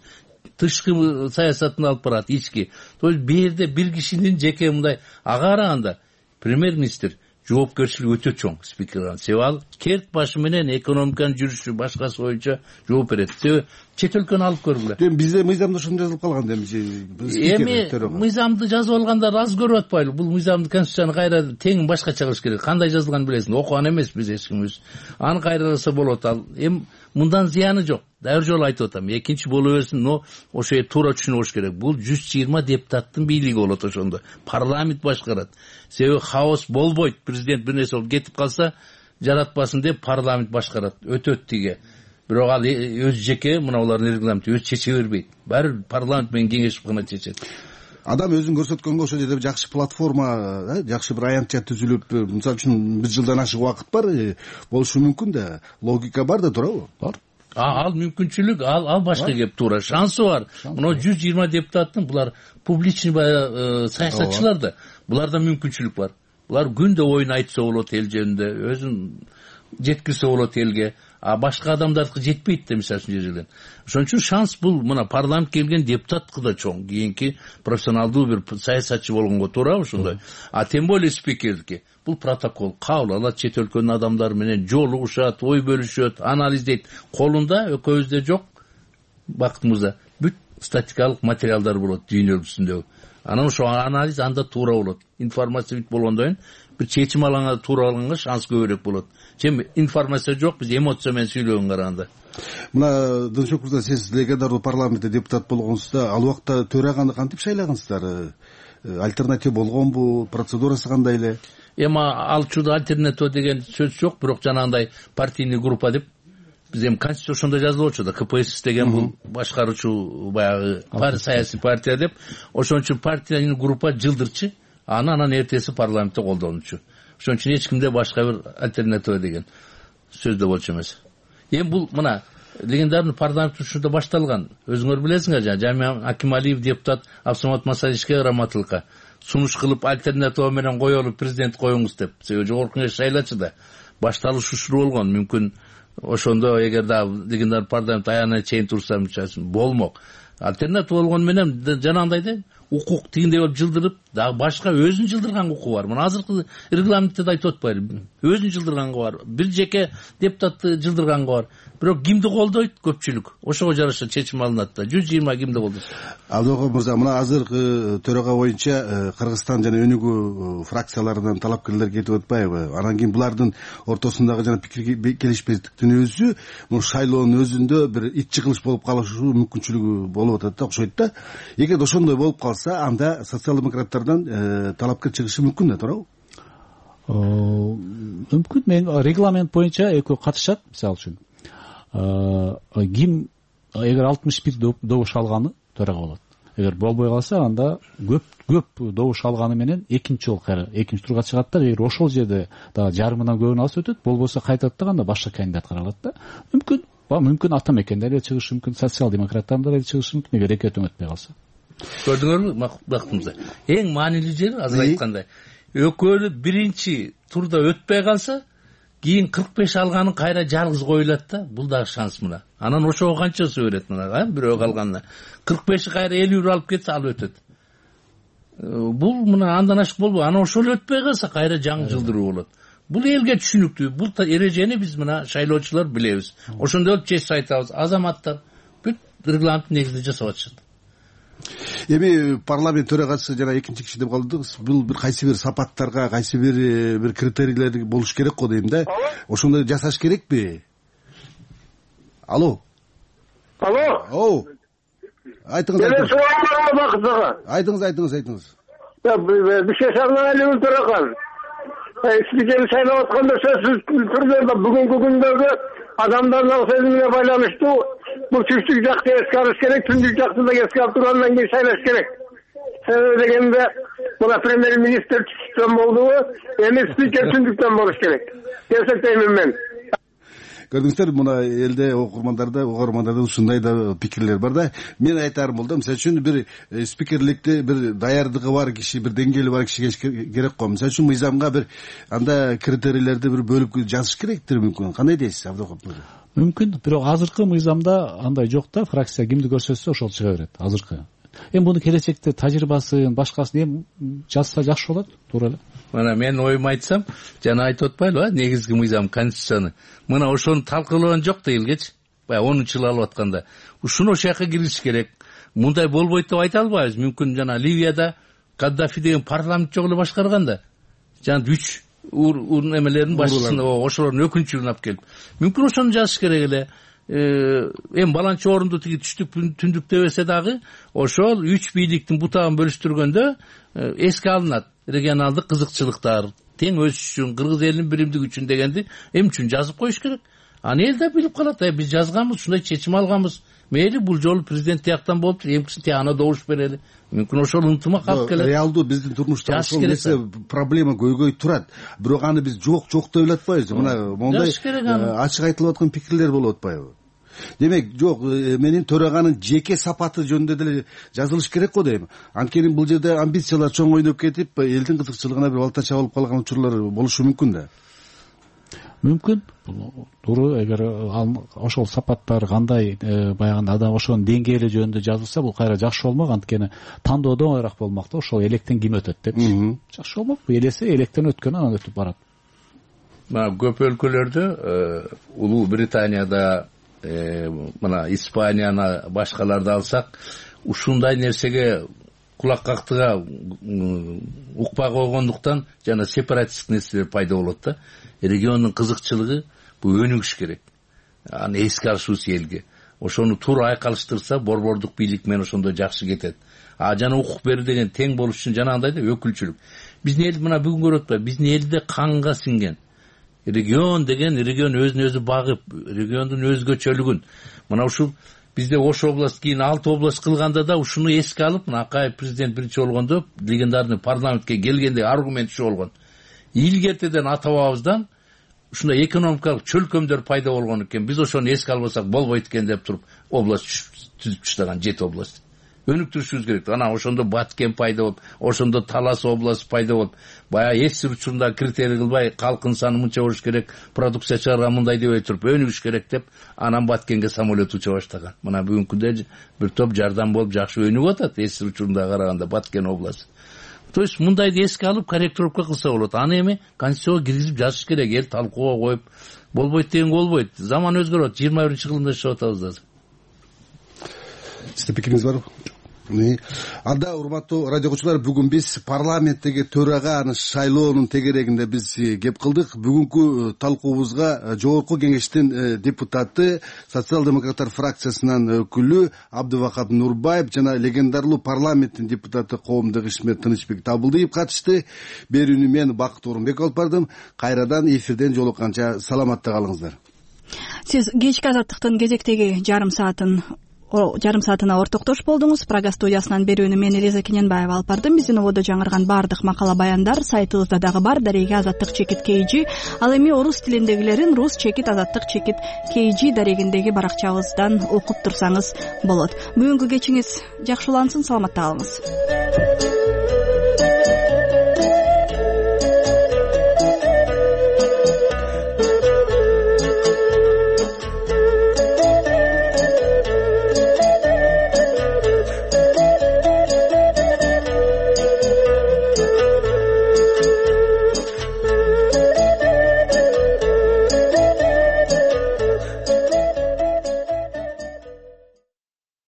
Тышкы саясатын алып барат, ички. То есть бирде бир кишинин жеке мындай ага караганда премьер-министр жоопкерчилиги өтө чоң спикерден. Себеби ал керт башы менен экономиканын жүрүшү башкасы боюнча жооп берет. Себеби чет өлкөнү алып көргүлө. Бизде мыйзамда ошондой жазылып калган эми мыйзамды жазып алгандар аз көрүп атпайлы. Бул мыйзамды, конституцияны кайра тең башкача кылыш керек. Кандай жазылганын билесиң, окуган эмес биз эч кимибиз. Аны кайраласа болот. Ал эми мындан зыяны жок. Дайыр жолу айтып атам. Экинчи боло берсин, но ошо туура түшүнүп алыш керек. Бул 120 депутаттын бийлиги болот ошондо. Парламент башкарат. Себеби хаос болбойт. Президент бир нерсе болуп кетип калса, жаратпасын деп парламент башкарат. Өтөт тиге. Бирок ал өз жеке мына улардын регламенти өз чече бербейт. Баары парламент менен кеңешип гана чечет. Адам өзүн көрсөткөнгө ошол жерде жакшы платформа, жакшы бир аянтча түзүлүп, мисалы үчүн 1 жылдан ашык убакыт бар, болушу мүмкүн да. Логика бар да, туурабы? Бар. Ал мүмкүнчүлүк, ал башка кеп туура. Шансы бар. Мына 120 депутаттын булар публичный саясатчылар да. Буларда мүмкүнчүлүк бар. Булар күндө оюн айтса болот эл жөнүндө, өзүн жеткирсе болот элге. А башка адамдардыкы жетпейт да, мисалы үчүн жерден. Ошон үчүн шанс бул мына парламент келген депутаттыкы да чоң. Кийинки профессионалдуу бир саясатчы болгонго туура ошондой. А тем более спикердики. Бул протокол кабыл алат, чет өлкөнүн адамдары менен жолугушат, ой бөлүшөт, анализдейт. Колунда экөөбүздө жок бактымызда бүт статикалык материалдар болот дүйнө жүзүндөгү. Анан ошо анализ анда туура болот. Информация бүт болгондон кийин бир чечим алганга туура алганга шанс көбүрөөк болот. Чем информация жок, биз эмоция менен сүйлөгөнгө караганда. Мына Дыншок мырза, сиз легендардуу парламентте депутат болгонсузда, ал убакта төраганы кантип шайлагансыздар? Альтернатива болгонбу? Процедурасы кандай эле? Эми ал учурда альтернатива деген сөз жок, бирок жанагындай партийный группа деп биз эми конституция ошондо жазылып да, КПСС деген бул башкаруучу баягы саясий партия деп, ошон үчүн партийный группа жылдырчы, анан эртеси парламентте колдонучу. Ошон үчүн эч кимде башка бир альтернатива деген сөз да болчу эмес. Эми бул мына легендарный парламент учурда башталган. Өзүңөр билесиңер, Жамиа Акималиев депутат Абсамат Масалишке раматылыкка сунуш кылып альтернатива менен коелу президент коюңуз деп. Себеби жогорку кеңеш шайлачу да. Башталыш ушул болгон. Мүмкүн ошондо эгер да легендарный парламент аягына чейин турса болмок. Альтернатива болгону менен жанагындай да укук тигиндей болуп жылдырып, дагы башка өзүн жылдырган укугу бар. Мына азыркы регламентте да айтып атпайбы, өзүн жылдырганга бар, бир жеке депутатты жылдырганга бар. Бирок кимди колдойт? Көпчүлүк. Ошого жараша чечим алынат да. 120 кимди колдойт? Абдыбакап мырза, мына азыркы төрага боюнча Кыргызстан жана өнүгүү фракцияларынан талапкерлер кетип атпайбы? Анан кийин булардын ортосундагы жана пикир келишпестиктин өзү мына шайлоонун өзүндө бир ит чыгылыш болуп калышы мүмкүнчүлүгү болуп атат да, окшойт да. Эгер ошондой болуп калса, анда социал-демократтардан талапкер чыгышы мүмкүн да, туурабы? Мүмкүн. Мен регламент боюнча экөө катышат, мисалы үчүн. Ким эгер 61 добуш алганы төрага болот. Эгер болбой калса, анда көп добуш алганы менен экинчи жолу кайра экинчи турга чыгат да. Эгер ошол жерде дагы жарымынан көбүн алса өтөт, болбосо кайтат да, анда башка кандидат каралат да. Мүмкүн ата мекендер эле чыгышы мүмкүн, социал-демократтар эле чыгышы мүмкүн, эгер экөө өтпөй калса. Көрдүңөрбү бактымызда? Эң маанилүү жери азыр айткандай, экөөнү биринчи турда өтпөй калса, кийин 45 алганын кайра жалгыз коюлат да. Бул дагы шанс мына. Анан ошого канчасы берет мына, бирөө калганына. 45 кайра 50 алып кетсе, ал өтөт. Бул мына андан ашык болбойт. Анан ошол өтпөй калса, кайра жаңы жылдыруу болот. Бул элге түшүнүктүү. Бул эрежени биз мына шайлоочулар билебиз. Ошондой болуп чечип айтабыз. Азаматтар бүт регламент негизинде жасап атышат. Эми парламент төрагасы жана экинчи киши деп калдыңыз. Бул бир кайсы бир сапаттарга, кайсы бир критерийлер болуш керек го дейм да. Ошондой жасаш керекпи? Алло. Айтыңыз. Айтыңыз. Бишкек төраган. Спикерди шайлап атканда сөзсүз түрдө бүгүнкү күндөгү адамдардын сезимине байланыштуу бул түштүк жакты эске алыш керек, түндүк жакты да эске алып тургандан кийин шайлаш керек. Себеби дегенде мына премьер-министр түштүктөн болдубу, эми спикер түндүктөн болуш керек. Эсептеймин мен. Көрдүңүздөр, мына элде угармандарда ушундай да пикирлер бар да. Мен айтарым бул да, мисалы үчүн бир спикерликте бир даярдыгы бар киши, бир деңгээли бар киши керек го. Мисалы үчүн мыйзамга бир анда критерийлерди бир бөлүп жазыш керектир мүмкүн. Кандай дейсиз, Абдыкап? Мүмкүн, бирок азыркы мыйзамда андай жок да, фракция кимди көрсөтсө ошол чыга берет азыркы. Эми муну келечекте тажрыйбасын, башкасын эми жазса жакшы болот, туура эле. Мына мен оюмду айтсам, жана айтып атпайлыбы, негизги мыйзам конституцияны. Мына ошону талкуулаган жок да элгечи. Баягы 10 жыл алып атканда. Ушуну ошол жака киргизиш керек. Мындай болбойт деп айта албайбыз. Мүмкүн жана Ливияда Каддафи деген парламент жок эле башкарган да. Жана 3 эмелердин башчысын, ошолордун өкүнчүлүгүн алып келип. Мүмкүн ошону жазыш керек эле. Эми баланчы орунду тиги түштүк түндүк дебесе дагы, ошол 3 бийликтин бутагын бөлүштүргөндө эске алынат. Регионалдык кызыкчылыктар, тең өсүш үчүн, кыргыз элинин биримдиги үчүн дегенди эми үчүн жазып коюш керек. Аны эл да билип калат. Биз жазганбыз, ушундай чечим алганбыз. Мейли бул жолу президент тияктан болуптур, эмкisi тиягына добуш берели. Мүмкүн ошол ынтымак алып келет. Реалдуу биздин турмушта ошол нерсе проблема көйгөй турат. Бирок аны биз жок деп эле атпайбыз. Мына мондай ачык айтылып аткан пикирлер болуп атпайбы? Демек, жок, менин төраганын жеке сапаты жөнүндө деле жазылыш керек го дейм. Анткени бул жерде амбициялар чоң ойноп кетип, элдин кызыкчылыгына бир балтача болуп калган учурлар болушу мүмкүн да. Мүмкүн. Туура, эгер ошол сапаттар кандай баягы адам ошонун деңгээли жөнүндө жазылса, бул кайра жакшы болмок. Анткени тандоодо оңоюраак болмок да, ошол электен ким өтөт депчи. Жакшы болмок. Элесе электен өткөн анан өтүп барат. Мына көп өлкөлөрдө, Улуу Британияда, мына Испанияны, башкаларды алсак, ушундай нерсеге кулак кактыга укпай койгондуктан жана сепаратисттик нерселер пайда болот да. Региондун кызыкчылыгы бул өнүгүш керек. Аны эске алышыбыз элге. Ошону туура айкалыштырса, борбордук бийлик менен ошондой жакшы кетет. Жана укук берүү деген тең болуш үчүн жана андай да өкүлчүлүк. Биздин эл мына бүгүн көрүп атпайбы, биздин элде канга сиңген. Регион деген регион өзүн өзү багып, региондун өзгөчөлүгүн. Мына ушул бизде Ош область кийин 6 область кылганда да ушуну эске алып, мына Акаев президент биринчи болгондо легендарный парламентке келгенде аргумент ушу болгон. Илгертеден ата бабабыздан ушундай экономикалык чөлкөмдөр пайда болгон экен. Биз ошону эске албасак болбойт экен деп туруп область түзүп таштаган 7 область. өнүктүрүшүбүз керек. Анан ошондо Баткен пайда болуп, ошондо Талас областы пайда болуп, баягы эсир учурунда критерий кылбай калктын саны мынча болуш керек, продукция чыгарган мындай дебей туруп өнүгүш керек деп анан Баткенге самолет уча баштаган. Мына бүгүнкүдө бир топ жардам болуп жакшы өнүгүп атат эсир учурунда караганда Баткен областы. То есть мындайды эске алып корректировка кылса болот. Аны эми конституцияга киргизип жазыш керек. Эл талкууга коюп болбойт деген болбойт. Заман өзгөрөт. 21-кылымда жашап атабыз азыр. Сизде пикириңиз барбы? Анда урматтуу радио угуучулар, бүгүн биз парламенттеги төраганы шайлоонун тегерегинде биз кеп кылдык. Бүгүнкү талкуубузга Жогорку Кеңештин депутаты, социал-демократтар фракциясынан өкүлү Абдывахап Нурбаев жана легендарлуу парламенттин депутаты коомдук ишмер Тынычбек Табылдиев катышты. Берүүнү мен Бакыт Орунбек алып бардым. Кайрадан эфирден жолукканча саламатта калыңыздар. Сиз кечки азаттыктын кезектеги жарым саатына ортоктош болдуңуз. Прага студиясынан берүүнү мен Элиза Кененбаева алып бардым. Биздин ободо жаңырган бардык макала баяндар сайтыбызда дагы бар. Дареги азаттык чекит KG. Ал эми орус тилиндегилерин рус чекит азаттык чекит KG дарегиндеги баракчабыздан окуп турсаңыз болот. Бүгүнкү кечиңиз жакшы улансын, саламатта калыңыз.